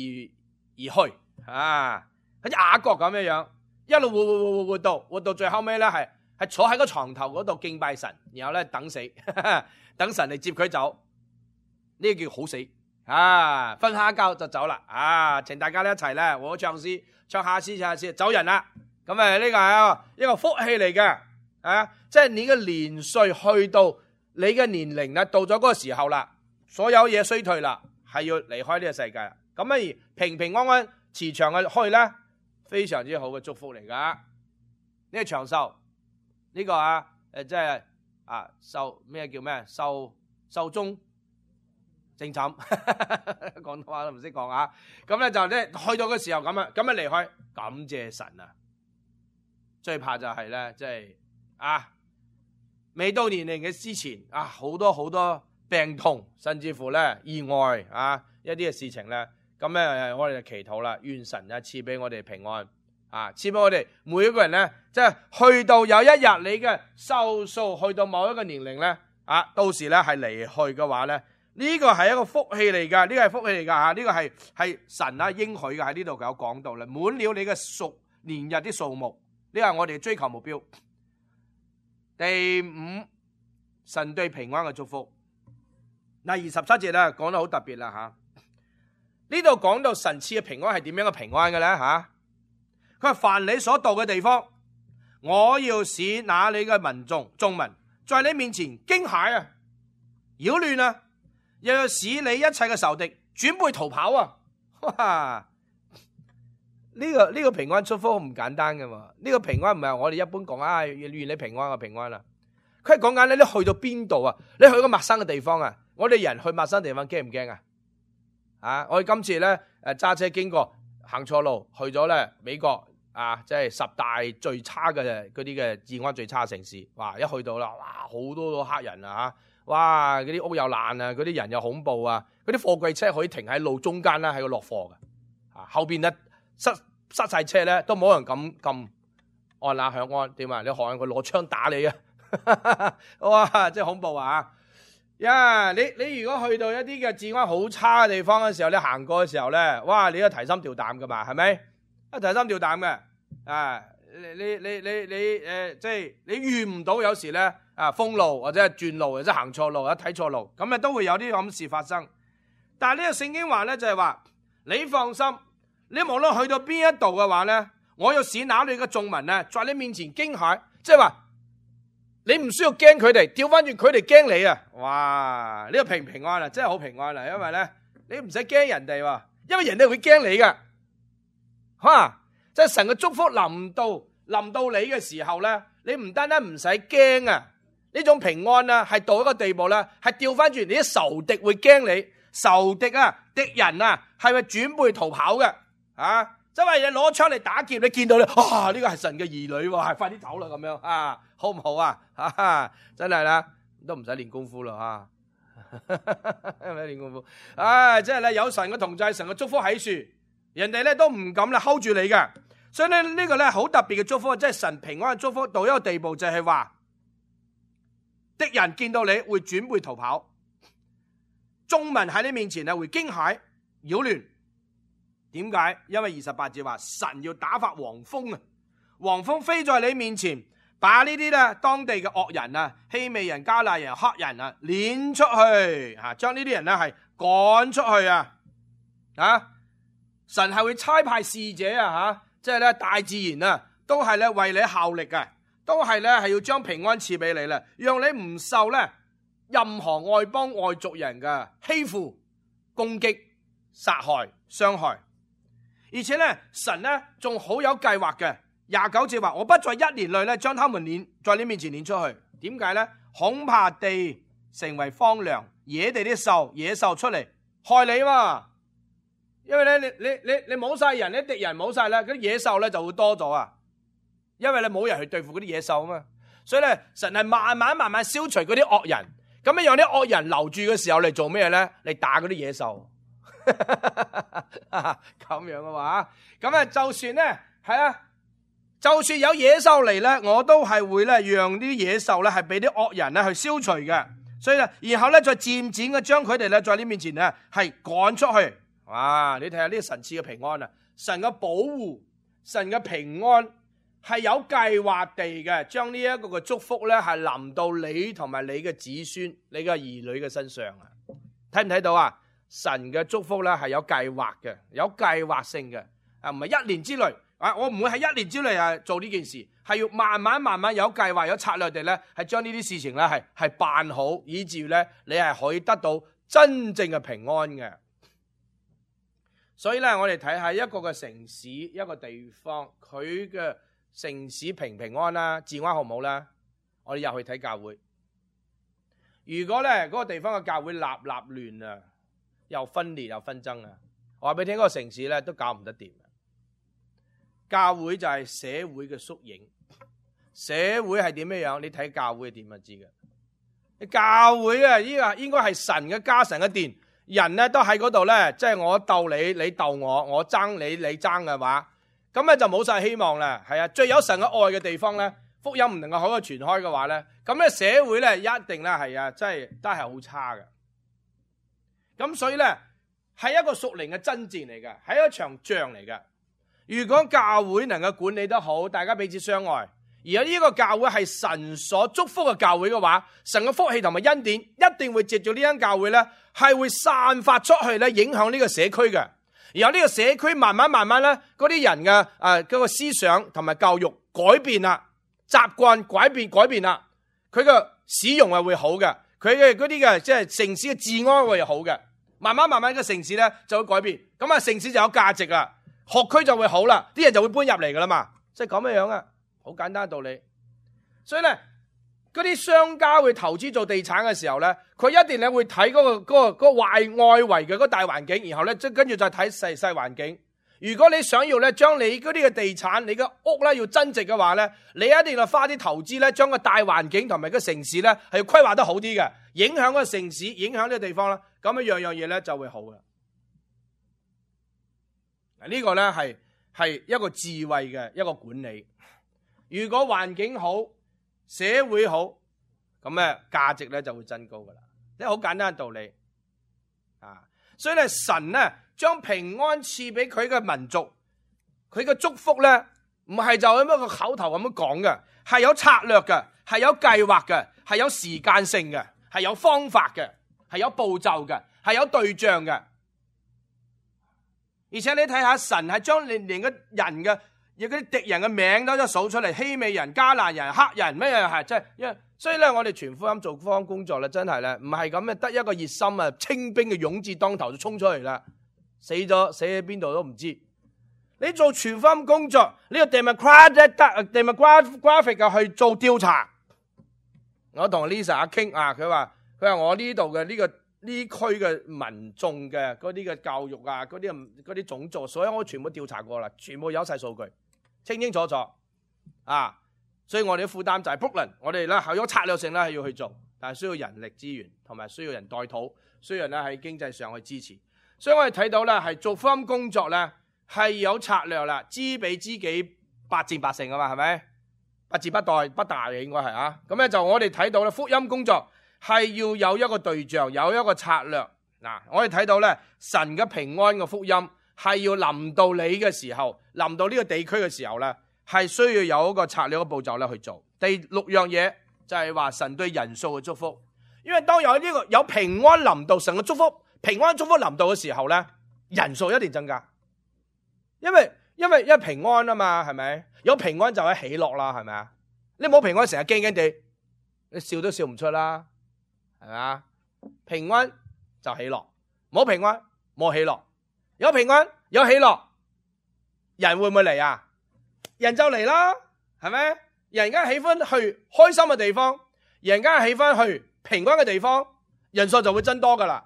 而去，啊，好似雅各咁樣樣，一路活活活活活到活到最後尾咧，係係坐喺個床頭嗰度敬拜神，然後咧等死，呵呵等神嚟接佢走，呢個叫好死。啊，瞓下覺就走啦！啊，請大家咧一齊咧，我唱詩，唱下詩，唱下詩，走人啦！咁誒，呢個係一個福氣嚟嘅，啊，即係你嘅年歲去到你嘅年齡啦，到咗嗰個時候啦，所有嘢衰退啦，係要離開呢個世界啦。咁而平平安安、慈祥嘅去咧，非常之好嘅祝福嚟噶。呢個長壽，呢個啊，誒，即係啊壽咩叫咩壽壽終正寢，廣東話都唔識講啊！咁咧就咧去到嘅時候咁啊，咁啊離開，感謝神啊！最怕就係咧，即係啊，未到年齡嘅之前啊，好多好多病痛，甚至乎咧意外啊，一啲嘅事情咧，咁咧我哋就祈禱啦，願神啊賜俾我哋平安啊，賜俾我哋每一個人咧，即係去到有一日你嘅壽數去到某一個年齡咧，啊，到時咧係離去嘅話咧。呢個係一個福氣嚟㗎，呢個係福氣嚟㗎嚇，呢個係係神啊應許嘅，喺呢度有講到啦，滿了你嘅數年日啲數目，呢個係我哋追求目標。第五，神對平安嘅祝福。嗱，二十七節咧講得好特別啦嚇，呢度講到神賜嘅平安係點樣嘅平安嘅咧嚇？佢話凡你所到嘅地方，我要使那你嘅民眾眾民在你面前驚駭啊，擾亂啊。又要使你一切嘅仇敵轉背逃跑啊！哇！呢個呢個平安祝福唔簡單嘅嘛？呢個平安唔係我哋一般講啊，願你平安嘅平安啦。佢係講緊你去到邊度啊？你去個陌生嘅地方啊？我哋人去陌生地方驚唔驚啊？啊！我哋今次咧誒揸車經過行錯路，去咗咧美國啊，即係十大最差嘅嗰啲嘅治安最差嘅城市。哇！一去到啦，哇！好多個黑人啊嚇！哇！嗰啲屋又爛啊，嗰啲人又恐怖啊，嗰啲貨櫃車可以停喺路中間啦，喺度落貨嘅，啊後邊咧塞塞晒車咧，都冇人敢撳按下響安，點啊？你學佢攞槍打你啊！哇！真係恐怖啊！呀、yeah，你你如果去到一啲嘅治安好差嘅地方嘅時候，你行過嘅時候咧，哇！你都提心吊膽噶嘛，係咪？啊提心吊膽嘅，啊你你你你你誒，即係你遇唔到有時咧。啊，封路或者係轉路或者行錯路或者睇錯路，咁啊都會有啲咁事發生。但係呢個聖經話咧就係話，你放心，你無論去到邊一度嘅話咧，我要使那裏嘅眾民咧，在你面前驚駭，即係話你唔需要驚佢哋，調翻轉佢哋驚你啊！哇，呢個平平安啊，真係好平安啊，因為咧你唔使驚人哋喎，因為人哋會驚你噶，吓，即係神嘅祝福臨到臨到你嘅時候咧，你唔單單唔使驚啊！呢種平安啊，係到一個地步咧，係調翻轉，你啲仇敵會驚你，仇敵啊、敵人啊，係咪轉背逃跑嘅？啊，即係你攞槍嚟打劫，你見到你，哇！呢個係神嘅兒女喎，係快啲走啦咁樣啊，好唔好啊？啊，真係啦，都唔使練功夫啦啊，唔使練功夫，啊，即係咧有神嘅同在，神嘅祝福喺處，人哋咧都唔敢啦 hold 住你嘅，所以咧呢個咧好特別嘅祝福，即係神平安嘅祝福到一個地步，就係話。敵人見到你會轉背逃跑，眾民喺你面前啊會驚駭擾亂。點解？因為二十八節話神要打發黃蜂啊，黃蜂飛在你面前，把呢啲咧當地嘅惡人啊、希未人、加納人、黑人啊攆出去，吓將呢啲人咧係趕出去啊！啊，神係會差派使者啊，吓，即係咧大自然啊，都係咧為你效力嘅。都係咧，係要將平安賜俾你啦，讓你唔受咧任何外邦外族人嘅欺負、攻擊、殺害、傷害。而且咧，神咧仲好有計劃嘅。廿九節話：我不在一年內咧將他們攆在你面前攆出去。點解咧？恐怕地成為荒涼，野地啲獸、野獸出嚟害你嘛。因為咧，你你你你冇晒人，啲敵人冇晒咧，嗰啲野獸咧就會多咗啊。因為你冇人去對付嗰啲野獸啊嘛，所以咧神係慢慢慢慢消除嗰啲惡人，咁樣讓啲惡人留住嘅時候嚟做咩咧？嚟打嗰啲野獸，咁樣嘅話，咁啊就算咧係啊，就算有野獸嚟咧，我都係會咧讓啲野獸咧係俾啲惡人咧去消除嘅，所以咧然後咧再漸漸嘅將佢哋咧在你面前咧係趕出去。哇！你睇下呢個神賜嘅平安啊，神嘅保護，神嘅平安。係有計劃地嘅，將呢一個嘅祝福咧，係臨到你同埋你嘅子孫、你嘅兒女嘅身上啊！睇唔睇到啊？神嘅祝福咧係有計劃嘅，有計劃性嘅，啊唔係一年之內啊，我唔會喺一年之內啊做呢件事，係要慢慢慢慢有計劃、有策略地咧，係將呢啲事情咧係係辦好，以至於咧你係可以得到真正嘅平安嘅。所以咧，我哋睇下一個嘅城市、一個地方，佢嘅城市平平安啦，治安好唔好啦？我哋入去睇教會，如果咧嗰個地方嘅教會立立亂啊，又分裂又紛爭啊，我話俾你聽，嗰個城市咧都搞唔得掂。教會就係社會嘅縮影，社會係點樣樣？你睇教會係點就知嘅。教會啊，呢個應該係神嘅家，神嘅殿，人咧都喺嗰度咧，即係我鬥你，你鬥我，我爭你，你爭嘅話，咁咧就冇晒希望啦。係啊，最有神嘅愛嘅地方咧，福音唔能夠可以傳開嘅話咧，咁咧社會咧一定咧係啊，真係都係好差嘅。咁所以咧係一個屬靈嘅爭戰嚟嘅，係一場仗嚟嘅。如果教會能夠管理得好，大家彼此相愛，而有呢個教會係神所祝福嘅教會嘅話，神嘅福氣同埋恩典一定會藉住呢間教會咧，係會散發出去咧，影響呢個社區嘅。而有呢個社區慢慢慢慢咧，嗰啲人嘅誒嗰個思想同埋教育改變啦，習慣改變改變啦，佢嘅使用係會好嘅，佢嘅嗰啲嘅即係城市嘅治安會好嘅，慢慢慢慢個城市咧就會改變，咁啊城市就有價值啦。學區就會好啦，啲人就會搬入嚟噶啦嘛，即係咁樣樣啊，好簡單嘅道理。所以咧，嗰啲商家會投資做地產嘅時候咧，佢一定咧會睇嗰個嗰個嗰個外外圍嘅嗰個大環境，然後咧即跟住再睇細細環境。如果你想要咧將你嗰啲嘅地產、你嘅屋咧要增值嘅話咧，你一定要花啲投資咧，將個大環境同埋個城市咧係要規劃得好啲嘅，影響個城市，影響呢個地方啦，咁樣樣樣嘢咧就會好嘅。呢個咧係係一個智慧嘅一個管理。如果環境好，社會好，咁咧價值咧就會增高噶啦。呢個好簡單嘅道理啊。所以咧，神咧將平安賜俾佢嘅民族，佢嘅祝福咧唔係就咁一個口頭咁樣講嘅，係有策略嘅，係有計劃嘅，係有時間性嘅，係有方法嘅，係有步驟嘅，係有對象嘅。而且你睇下，神係將連連個人嘅，有啲敵人嘅名都一數出嚟，希美人、迦南人、黑人咩嘢係，即係因為所以咧，我哋傳福音做福音工作咧，真係咧唔係咁嘅，得一個熱心啊，清兵嘅勇志當頭就衝出嚟啦，死咗死喺邊度都唔知。你做傳福音工作，呢個 demographic demographic 嘅去做調查，我同 Lisa 傾啊，佢話佢話我呢度嘅呢個。呢區嘅民眾嘅嗰啲嘅教育啊，嗰啲嗰啲種族，所以我全部調查過啦，全部有晒數據，清清楚楚啊！所以我哋嘅負擔就係 Brooklyn， 我哋咧係有策略性咧係要去做，但係需要人力資源同埋需要人代禱，需要人咧喺經濟上去支持。所以我哋睇到咧係做福音工作咧係有策略啦，知彼知己，百戰百勝啊嘛，係咪？不至不殆不大嘅應該係啊。咁咧就我哋睇到咧福音工作。係要有一個對象，有一個策略。嗱，我哋睇到咧，神嘅平安嘅福音係要臨到你嘅時候，臨到呢個地區嘅時候咧，係需要有一個策略嘅步驟咧去做。第六樣嘢就係話神對人數嘅祝福，因為當有呢個有平安臨到，神嘅祝福，平安祝福臨到嘅時候咧，人數一定增加。因為因為因為平安啊嘛，係咪？有平安就係喜樂啦，係咪啊？你冇平安成日驚驚地，你笑都笑唔出啦。係嘛？平安就喜樂，冇平安冇喜樂。有平安有喜樂，人會唔會嚟啊？人就嚟啦，係咪？人家喜歡去開心嘅地方，人家喜歡去平安嘅地方，人數就會增多噶啦。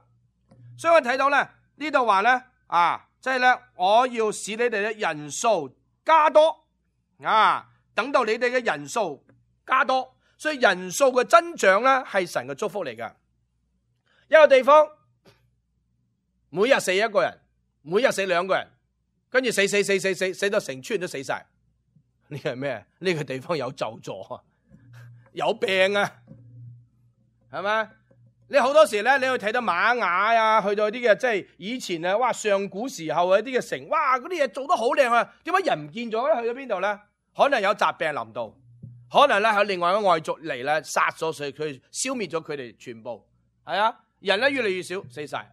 所以我睇到咧呢度話咧啊，即係咧我要使你哋嘅人數加多啊，等到你哋嘅人數加多。所以人數嘅增長咧係神嘅祝福嚟㗎。一個地方每日死一個人，每日死兩個人，跟住死死死死死死到成村人都死晒。呢個係咩？呢個地方有咒詛啊，有病啊，係咪？你好多時咧，你去睇到瑪雅啊，去到啲嘅即係以前啊，哇上古時候嘅啲嘅城，哇嗰啲嘢做得好靚啊，點解人唔見咗咧？去咗邊度咧？可能有疾病臨到。可能咧喺另外一個外族嚟咧殺咗佢，佢消滅咗佢哋全部，係啊，人咧越嚟越少，死晒，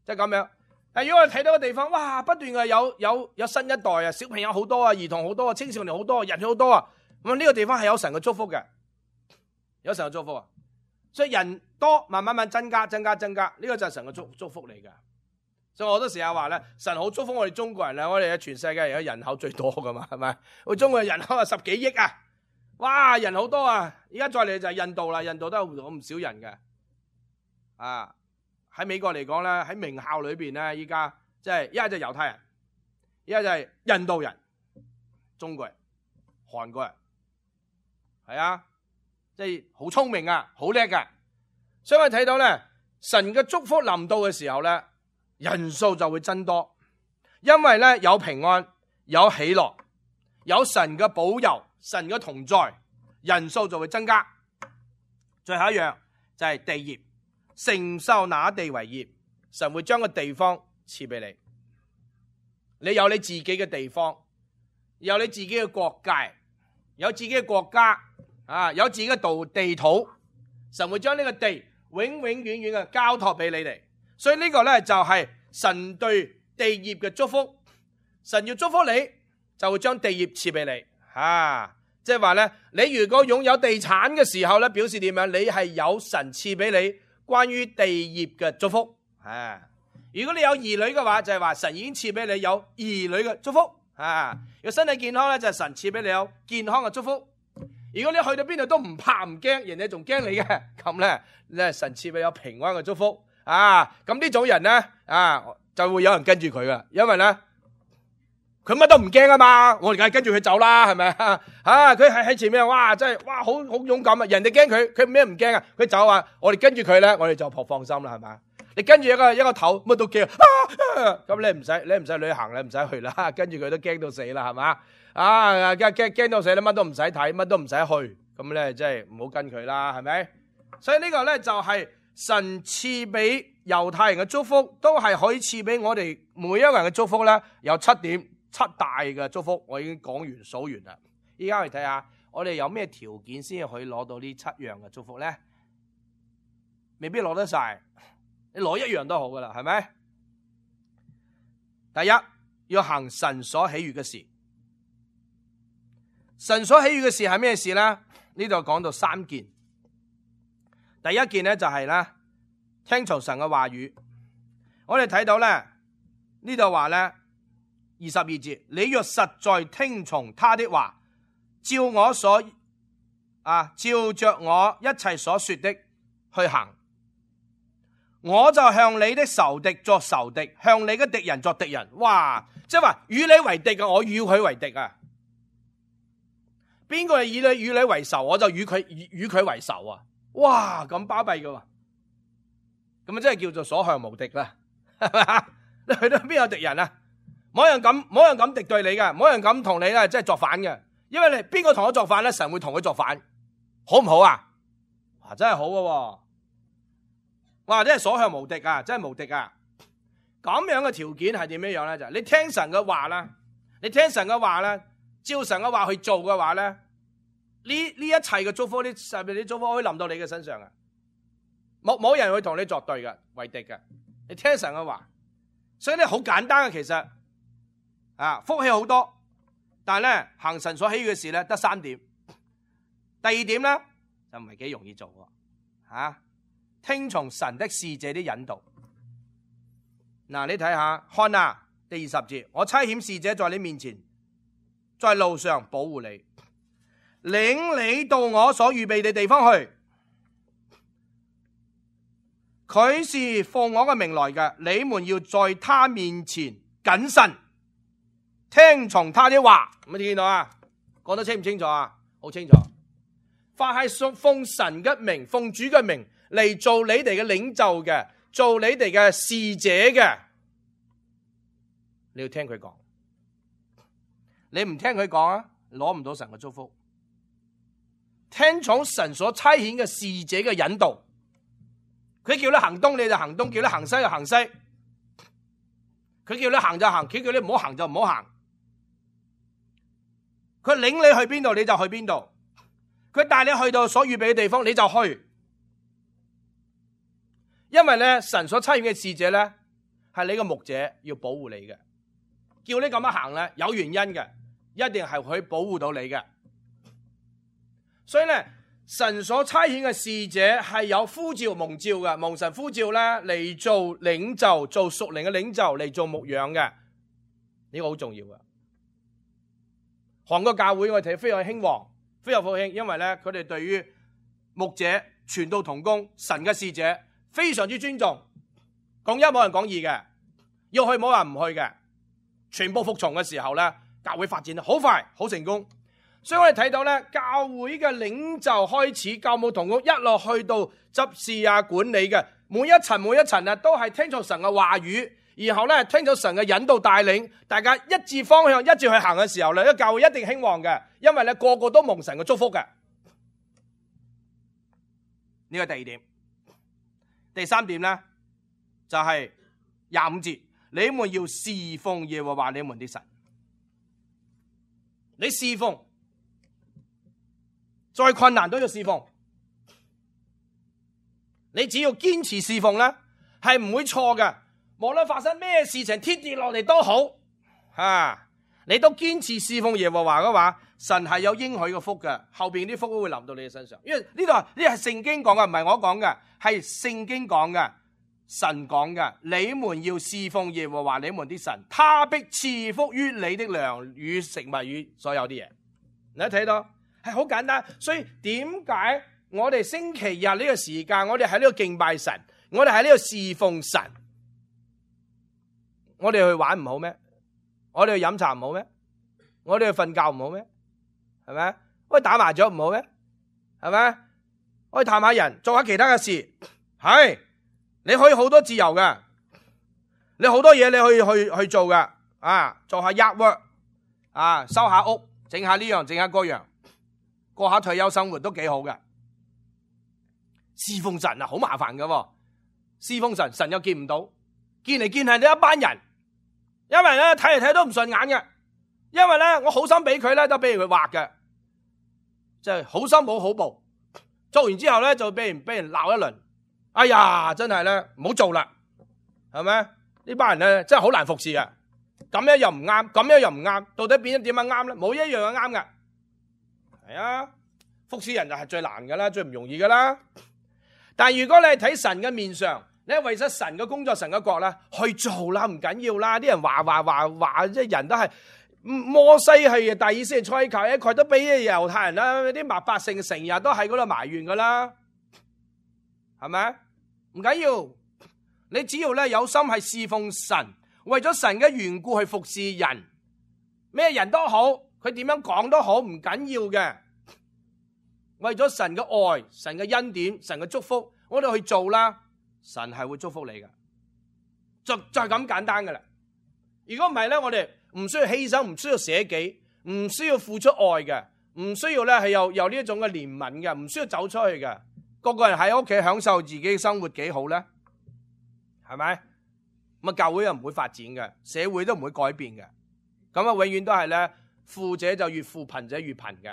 即係咁樣。但如果我哋睇到個地方，哇，不斷嘅有有有新一代啊，小朋友好多啊，兒童好多啊，青少年好多，人好多啊，咁呢個地方係有神嘅祝福嘅，有神嘅祝福啊。所以人多，慢慢慢增加，增加，增加，呢個就係神嘅祝祝福嚟嘅。所以我都時候話咧，神好祝福我哋中國人啊，我哋喺全世界而家人口最多噶嘛，係咪？我中國人口啊十幾億啊！哇，人好多啊！而家再嚟就係印度啦，印度都有唔少人嘅，啊，喺美國嚟講咧，喺名校裏邊咧，依家即係一係就猶太人，一係就係印度人、中國人、韓國人，係啊，即係好聰明啊，好叻噶。所以我睇到咧，神嘅祝福臨到嘅時候咧，人數就會增多，因為咧有平安、有喜樂、有神嘅保佑、神嘅同在，人數就會增加。最後一樣就係地業，承受那地為業，神會將個地方賜俾你。你有你自己嘅地方，有你自己嘅國界，有自己嘅國家啊，有自己嘅道地土，神會將呢個地永永遠遠嘅交託俾你哋。所以呢個咧就係神對地業嘅祝福。神要祝福你，就會將地業賜俾你。啊，即係話咧，你如果擁有地產嘅時候咧，表示點樣？你係有神賜俾你關於地業嘅祝福。啊，如果你有兒女嘅話，就係話神已經賜俾你有兒女嘅祝福。啊，如果身體健康咧，就係神賜俾你有健康嘅祝福。如果你去到邊度都唔怕唔驚，人哋仲驚你嘅，咁咧咧神賜俾你有平安嘅祝福。啊，咁呢種人咧，啊就會有人跟住佢噶，因為咧佢乜都唔驚啊嘛，我哋梗係跟住佢走啦，係咪啊？啊，佢喺喺前面，哇，真係哇，好好勇敢啊！人哋驚佢，佢咩唔驚啊？佢走啊，我哋跟住佢咧，我哋就放放心啦，係咪？你跟住一個一個頭，乜都驚，啊，咁你唔使你唔使旅行，你唔使去啦，跟住佢都驚到死啦，係嘛？啊，驚驚驚到死，你乜都唔使睇，乜都唔使去，咁咧即係唔好跟佢啦，係咪？所以呢個咧就係神賜俾猶太人嘅祝福，都係可以賜俾我哋每一個人嘅祝福咧，有七點七大嘅祝福，我已經講完數完啦。依家去睇下，我哋有咩條件先可以攞到呢七樣嘅祝福咧？未必攞得晒，你攞一樣都好噶啦，係咪？第一，要行神所喜悅嘅事。神所喜悅嘅事係咩事咧？呢度講到三件。第一件咧就係咧聽從神嘅話語。我哋睇到咧呢度話咧二十二節，你若實在聽從他的話，照我所啊照着我一切所說的去行，我就向你的仇敵作仇敵，向你嘅敵人作敵人。哇！即係話與你為敵嘅，我與佢為敵啊！邊個係以你與你為仇，我就與佢與佢為仇啊！哇，咁巴閉噶，咁啊真係叫做所向無敵啦，係咪啊？你去到邊有敵人啊？冇人敢，冇人敢敵對你嘅，冇人敢同你咧，即係作反嘅。因為你邊個同我作反咧，神會同佢作反，好唔好啊？哇，真係好嘅，哇，真係所向無敵啊，真係無敵啊！咁樣嘅條件係點樣樣咧？就係你聽神嘅話啦，你聽神嘅話咧，照神嘅話去做嘅話咧，呢呢一切嘅祝福，呢上面啲祝福可以臨到你嘅身上嘅，冇冇人會同你作對嘅，為敵嘅。你聽神嘅話，所以咧好簡單嘅，其實啊福氣好多，但係咧行神所喜悅嘅事咧得三點。第二點咧就唔係幾容易做喎，吓、啊、聽從神的使者的引導。嗱、啊，你睇下看啊，第二十節，我差遣使者在你面前，在路上保護你，領你到我所預備的地方去。佢是奉我嘅名來嘅，你們要在他面前謹慎，聽從他的話。咁你見到啊？講得清唔清楚啊？好清楚。凡係奉神嘅名、奉主嘅名嚟做你哋嘅領袖嘅，做你哋嘅使者嘅，你要聽佢講。你唔聽佢講啊，攞唔到神嘅祝福。聽從神所差遣嘅使者嘅引導，佢叫你行東你就行東，叫你行西就行西。佢叫你行就行，佢叫你唔好行就唔好行。佢領你去邊度你就去邊度，佢帶你去到所預備嘅地方你就去。因為咧神所差遣嘅使者咧係你個牧者，要保護你嘅，叫你咁樣行咧有原因嘅，一定係佢保護到你嘅。所以咧神所差遣嘅使者係有呼召蒙召嘅，蒙神呼召咧嚟做領袖，做屬靈嘅領袖，嚟做牧養嘅，呢個好重要嘅。韓國教會我哋睇非常興旺，非常復興，因為咧佢哋對於牧者傳道同工神嘅使者非常之尊重，講一冇人講二嘅，要去冇人唔去嘅，全部服從嘅時候咧，教會發展得好快，好成功。所以我哋睇到咧，教會嘅領袖開始教牧同工，一路去到執事啊、管理嘅每一層每一層啊，都係聽從神嘅話語，然後咧聽從神嘅引導帶領，大家一致方向一致去行嘅時候咧，呢個教會一定興旺嘅，因為咧個個都蒙神嘅祝福嘅。呢個第二點，第三點咧就係廿五節，你們要侍奉耶和華你們的神。你侍奉，再困難都要侍奉。你只要堅持侍奉咧，係唔會錯嘅。無論發生咩事情，天跌落嚟都好，啊，你都堅持侍奉耶和華嘅話，神係有應許嘅福嘅，後邊啲福都會臨到你嘅身上。因為呢度呢係聖經講嘅，唔係我講嘅，係聖經講嘅，神講嘅。你們要侍奉耶和華你們的神，他必賜福於你的糧與食物與所有啲嘢。你睇到係好簡單，所以點解我哋星期日呢個時間，我哋喺呢度敬拜神，我哋喺呢度侍奉神，我哋去玩唔好咩？我哋去飲茶唔好咩？我哋去瞓覺唔好咩？係咪？我哋打麻雀唔好咩？係咪？我哋探下人，做下其他嘅事，係你可以好多自由嘅，你好多嘢你可以去去做嘅，啊，做下 yard work， 啊，收下屋，整下呢樣，整下嗰樣，過下退休生活都幾好嘅。侍奉神啊，好麻煩噶，侍奉神，神又見唔到，見嚟見係呢一班人，因為咧睇嚟睇都唔順眼嘅，因為咧我好心俾佢咧，都俾佢畫嘅，即係好心冇好報，做完之後咧就俾人俾人鬧一輪，哎呀，真係咧唔好做啦，係咪？呢班人咧真係好難服侍嘅，咁樣又唔啱，咁樣又唔啱，到底變咗點樣啱咧？冇一樣係啱嘅，係啊，服侍人就係最難噶啦，最唔容易噶啦。但係如果你係睇神嘅面上，你係為咗神嘅工作、神嘅國啦，去做啦，唔緊要啦。啲人話話話話，即係人都係摩西係大以色列出埃及，佢都俾猶太人啦，啲百姓成日都喺嗰度埋怨噶啦，係咪？唔緊要，你只要咧有心係侍奉神，為咗神嘅緣故去服侍人，咩人都好，佢點樣講都好，唔緊要嘅。為咗神嘅愛、神嘅恩典、神嘅祝福，我哋去做啦，神係會祝福你嘅，就就係咁簡單噶啦。如果唔係咧，我哋唔需要犧牲，唔需要捨己，唔需要付出愛嘅，唔需要咧係有有呢一種嘅憐憫嘅，唔需要走出去嘅。個個人喺屋企享受自己生活幾好咧，係咪？咁啊，教會又唔會發展嘅，社會都唔會改變嘅。咁啊，永遠都係咧，富者就越富，貧者越貧嘅。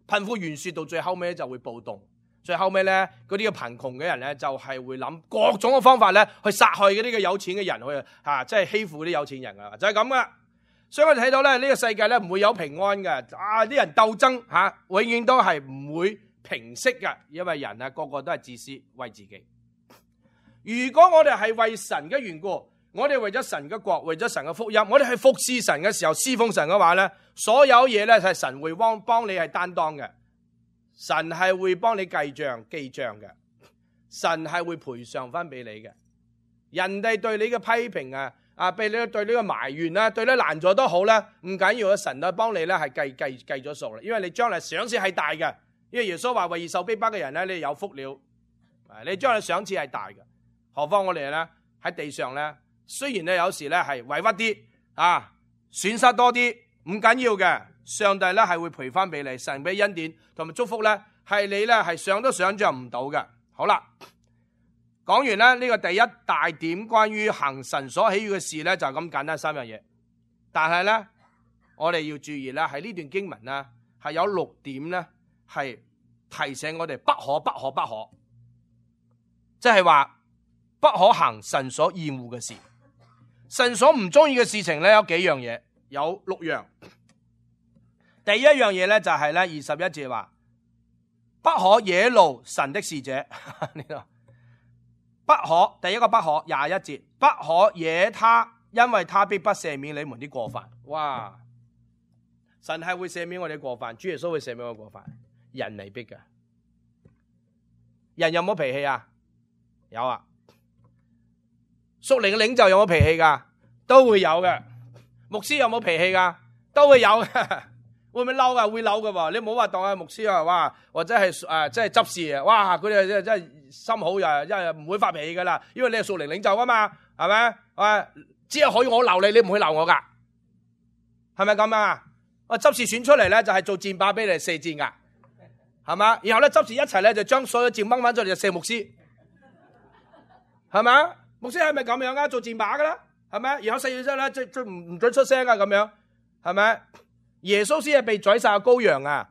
貧富懸殊到最後尾就會暴動，最後尾咧嗰啲嘅貧窮嘅人咧就係會諗各種嘅方法咧去殺害嗰啲嘅有錢嘅人，去吓即係欺負啲有錢人啊，就係咁噶。所以我哋睇到咧呢個世界咧唔會有平安嘅，啊啲人鬥爭吓，永遠都係唔會平息嘅，因為人啊個個都係自私為自己。如果我哋係為神嘅緣故，我哋為咗神嘅國，為咗神嘅福音，我哋去服侍神嘅時候，侍奉神嘅話咧，所有嘢咧係神會幫幫你係擔當嘅，神係會幫你計賬記賬嘅，神係會賠償翻俾你嘅。人哋對你嘅批評啊，啊，俾你對你嘅埋怨啦，對你難做都好啦，唔緊要啊，神都幫你咧係計計計咗數啦，因為你將來賞賜係大嘅，因為耶穌話為義受逼迫嘅人咧，你有福了，你將來賞賜係大嘅，何況我哋咧喺地上咧。雖然咧有時咧係委屈啲啊，損失多啲，唔緊要嘅，上帝咧係會賠翻俾你，神俾恩典同埋祝福咧，係你咧係想都想象唔到嘅。好啦，講完咧呢個第一大點關於行神所喜悅嘅事咧，就咁簡單三樣嘢。但係咧，我哋要注意咧，喺呢段經文咧係有六點咧係提醒我哋不可不可不可，即係話不可行神所厭惡嘅事。神所唔中意嘅事情咧有幾樣嘢，有六樣。第一樣嘢咧就係咧二十一節話，不可惹怒神的使者。呢度不可，第一個不可，廿一節，不可惹他，因為他必不赦免你們的過犯。哇！神係會赦免我哋嘅過犯，主耶穌會赦免我哋過犯，人嚟逼嘅。人有冇脾氣啊？有啊。屬靈嘅領袖有冇脾氣噶？都會有嘅。牧師有冇脾氣噶？都會有嘅。會唔會嬲噶？會嬲噶喎。你唔好話當係牧師啊，哇，或者係誒即係執事啊，哇，佢哋真真係心好呀，因為唔會發脾氣噶啦，因為你係屬靈領袖啊嘛，係咪？啊，只係可以我鬧你，你唔會鬧我噶，係咪咁啊？我執事選出嚟咧就係做箭靶俾你射箭噶，係嘛？然後咧執事一齊咧就將所有箭掹翻出嚟就射牧師，係咪？牧師係咪咁樣啊？做箭靶噶啦，係咪？然後四月之後咧，最最唔唔准出聲啊，咁樣係咪？耶穌先係被宰殺嘅羔羊啊，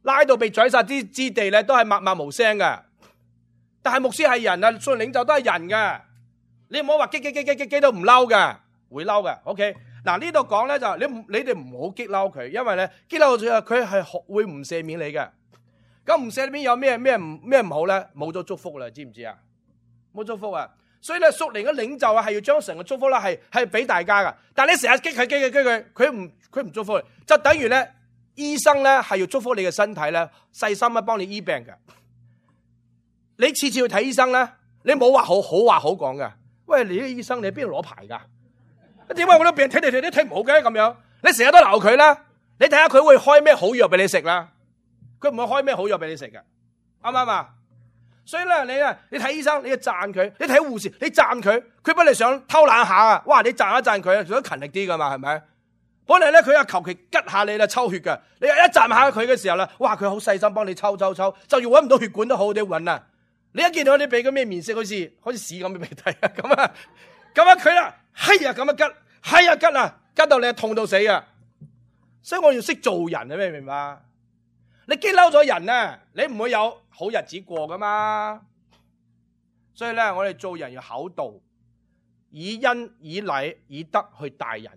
拉到被宰殺之之地咧，都係默默無聲嘅。但係牧師係人啊，屬靈領袖都係人嘅，你唔好話激激激激激激都唔嬲嘅，會嬲嘅。OK， 嗱呢度講咧就你你哋唔好激嬲佢，因為咧激嬲佢佢係會唔赦免你嘅。咁唔赦免有咩咩唔咩唔好咧？冇咗祝福啦，知唔知啊？冇祝福啊！所以咧，屬靈嘅領袖啊，係要將成個祝福啦，係係俾大家噶。但係你成日激佢激佢激佢，佢唔佢唔祝福你，就等於咧醫生咧係要祝福你嘅身體咧，細心啊幫你醫病嘅。你次次去睇醫生咧，你冇話好好話好講嘅。喂，你啲醫生你邊度攞牌噶？點解我啲病睇嚟睇去都睇唔好嘅咁樣？你成日都鬧佢啦，你睇下佢會開咩好藥俾你食啦？佢唔會開咩好藥俾你食嘅，啱唔啱啊？所以咧，你啊，你睇醫生，你要讚佢；你睇護士，你讚佢。佢不你想偷懶下啊？哇！你讚一讚佢，想勤力啲噶嘛？係咪？本嚟咧，佢又求其吉下你啦，抽血嘅。你一讚下佢嘅時候咧，哇！佢好細心幫你抽抽抽，就要搵唔到血管都好啲搵啊！你一見到你俾個咩面色，好似好似屎咁嘅鼻涕啊！咁啊，咁啊佢啦，係啊咁啊吉，係啊吉啊，吉到你痛到死啊！所以我要識做人啊，明唔明白？你激嬲咗人啊，你唔會有好日子過噶嘛。所以咧，我哋做人要厚道，以恩以禮以德去待人，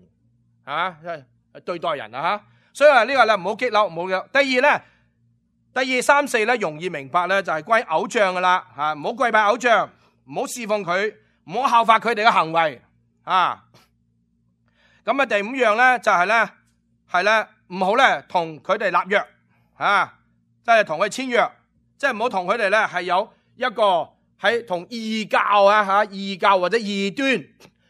係嘛？對待人啊吓。所以話呢個咧唔好激嬲，唔好嘅。第二咧，第二三四咧容易明白咧，就係歸偶像噶啦吓，唔好跪拜偶像，唔好侍奉佢，唔好效法佢哋嘅行為啊。咁啊，第五樣咧就係咧係咧唔好咧同佢哋立約。啊，即係同佢簽約，即係唔好同佢哋咧係有一個喺同異教啊吓，異教或者異端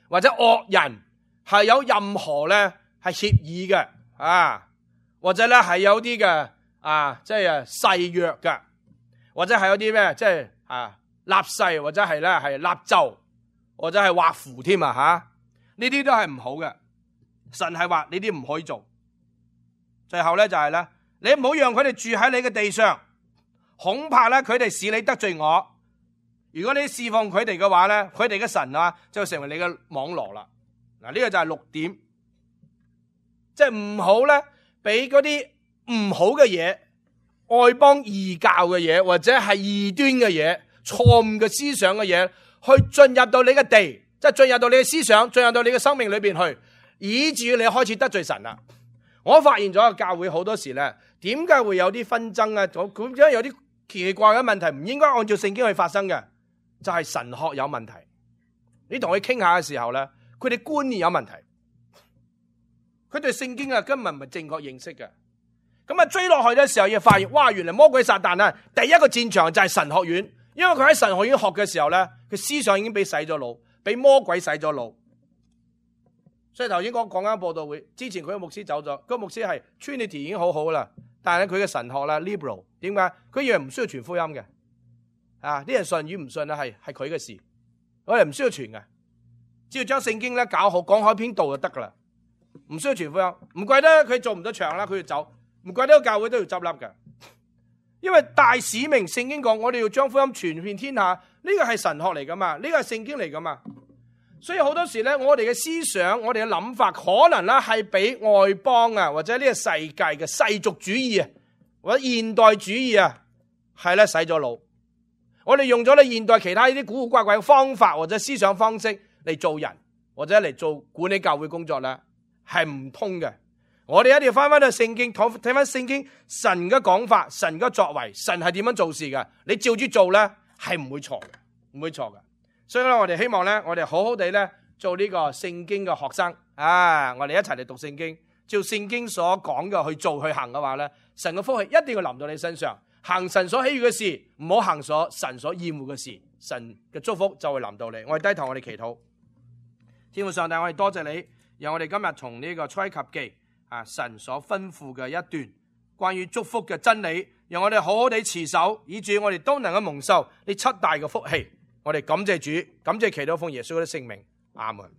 或者惡人係有任何咧係協議嘅啊，或者咧係有啲嘅啊，即係誓約嘅，或者係有啲咩即係啊立誓或者係咧係立咒或者係畫符添啊吓，呢啲都係唔好嘅。神係話呢啲唔可以做。最後咧就係咧。你唔好讓佢哋住喺你嘅地上，恐怕咧佢哋使你得罪我。如果你侍奉佢哋嘅話咧，佢哋嘅神啊就成為你嘅網羅啦。嗱，呢個就係六點，即係唔好咧俾嗰啲唔好嘅嘢、外邦異教嘅嘢或者係異端嘅嘢、錯誤嘅思想嘅嘢，去進入到你嘅地，即係進入到你嘅思想，進入到你嘅生命裏邊去，以至於你開始得罪神啦。我發現咗教會好多時咧，點解會有啲紛爭啊？咁因為有啲奇奇怪嘅問題，唔應該按照聖經去發生嘅，就係神學有問題。你同佢傾下嘅時候咧，佢哋觀念有問題，佢對聖經啊根本唔係正確認識嘅。咁啊追落去嘅時候，要發現哇，原來魔鬼撒旦啊，第一個戰場就係神學院，因為佢喺神學院學嘅時候咧，佢思想已經俾洗咗腦，俾魔鬼洗咗腦。所以頭先講講緊佈道會之前，佢個牧師走咗，嗰個牧師係 Trinity 已經好好啦，但係咧佢嘅神學啦 liberal， 點解？佢以為唔需要傳福音嘅，啊啲人信與唔信啊係係佢嘅事，我哋唔需要傳嘅，只要將聖經咧搞好，講好篇道就得噶啦，唔需要傳福音。唔怪得佢做唔到場啦，佢要走，唔怪得個教會都要執笠嘅，因為大使命聖經講，我哋要將福音傳遍天下，呢個係神學嚟噶嘛，呢個係聖經嚟噶嘛。所以好多時咧，我哋嘅思想、我哋嘅諗法，可能咧係俾外邦啊，或者呢個世界嘅世俗主義啊，或者現代主義啊，係咧洗咗腦。我哋用咗咧現代其他呢啲古古怪怪嘅方法或者思想方式嚟做人，或者嚟做管理教會工作咧，係唔通嘅。我哋一定要翻翻去聖經，睇睇翻聖經神嘅講法、神嘅作為、神係點樣做事嘅。你照住做咧，係唔會錯嘅，唔會錯嘅。所以咧，我哋希望咧，我哋好好地咧做呢個聖經嘅學生啊！我哋一齊嚟讀聖經，照聖經所講嘅去做去行嘅話咧，神嘅福氣一定要臨到你身上。行神所喜悅嘅事，唔好行所神所厭惡嘅事，神嘅祝福就會臨到你。我哋低頭，我哋祈禱。天父上帝，我哋多謝你，讓我哋今日從呢個出埃及記啊，神所吩咐嘅一段關於祝福嘅真理，讓我哋好好地持守，以致我哋都能夠蒙受呢七大嘅福氣。我哋感謝主，感謝祈禱奉耶穌嘅聖名，阿門。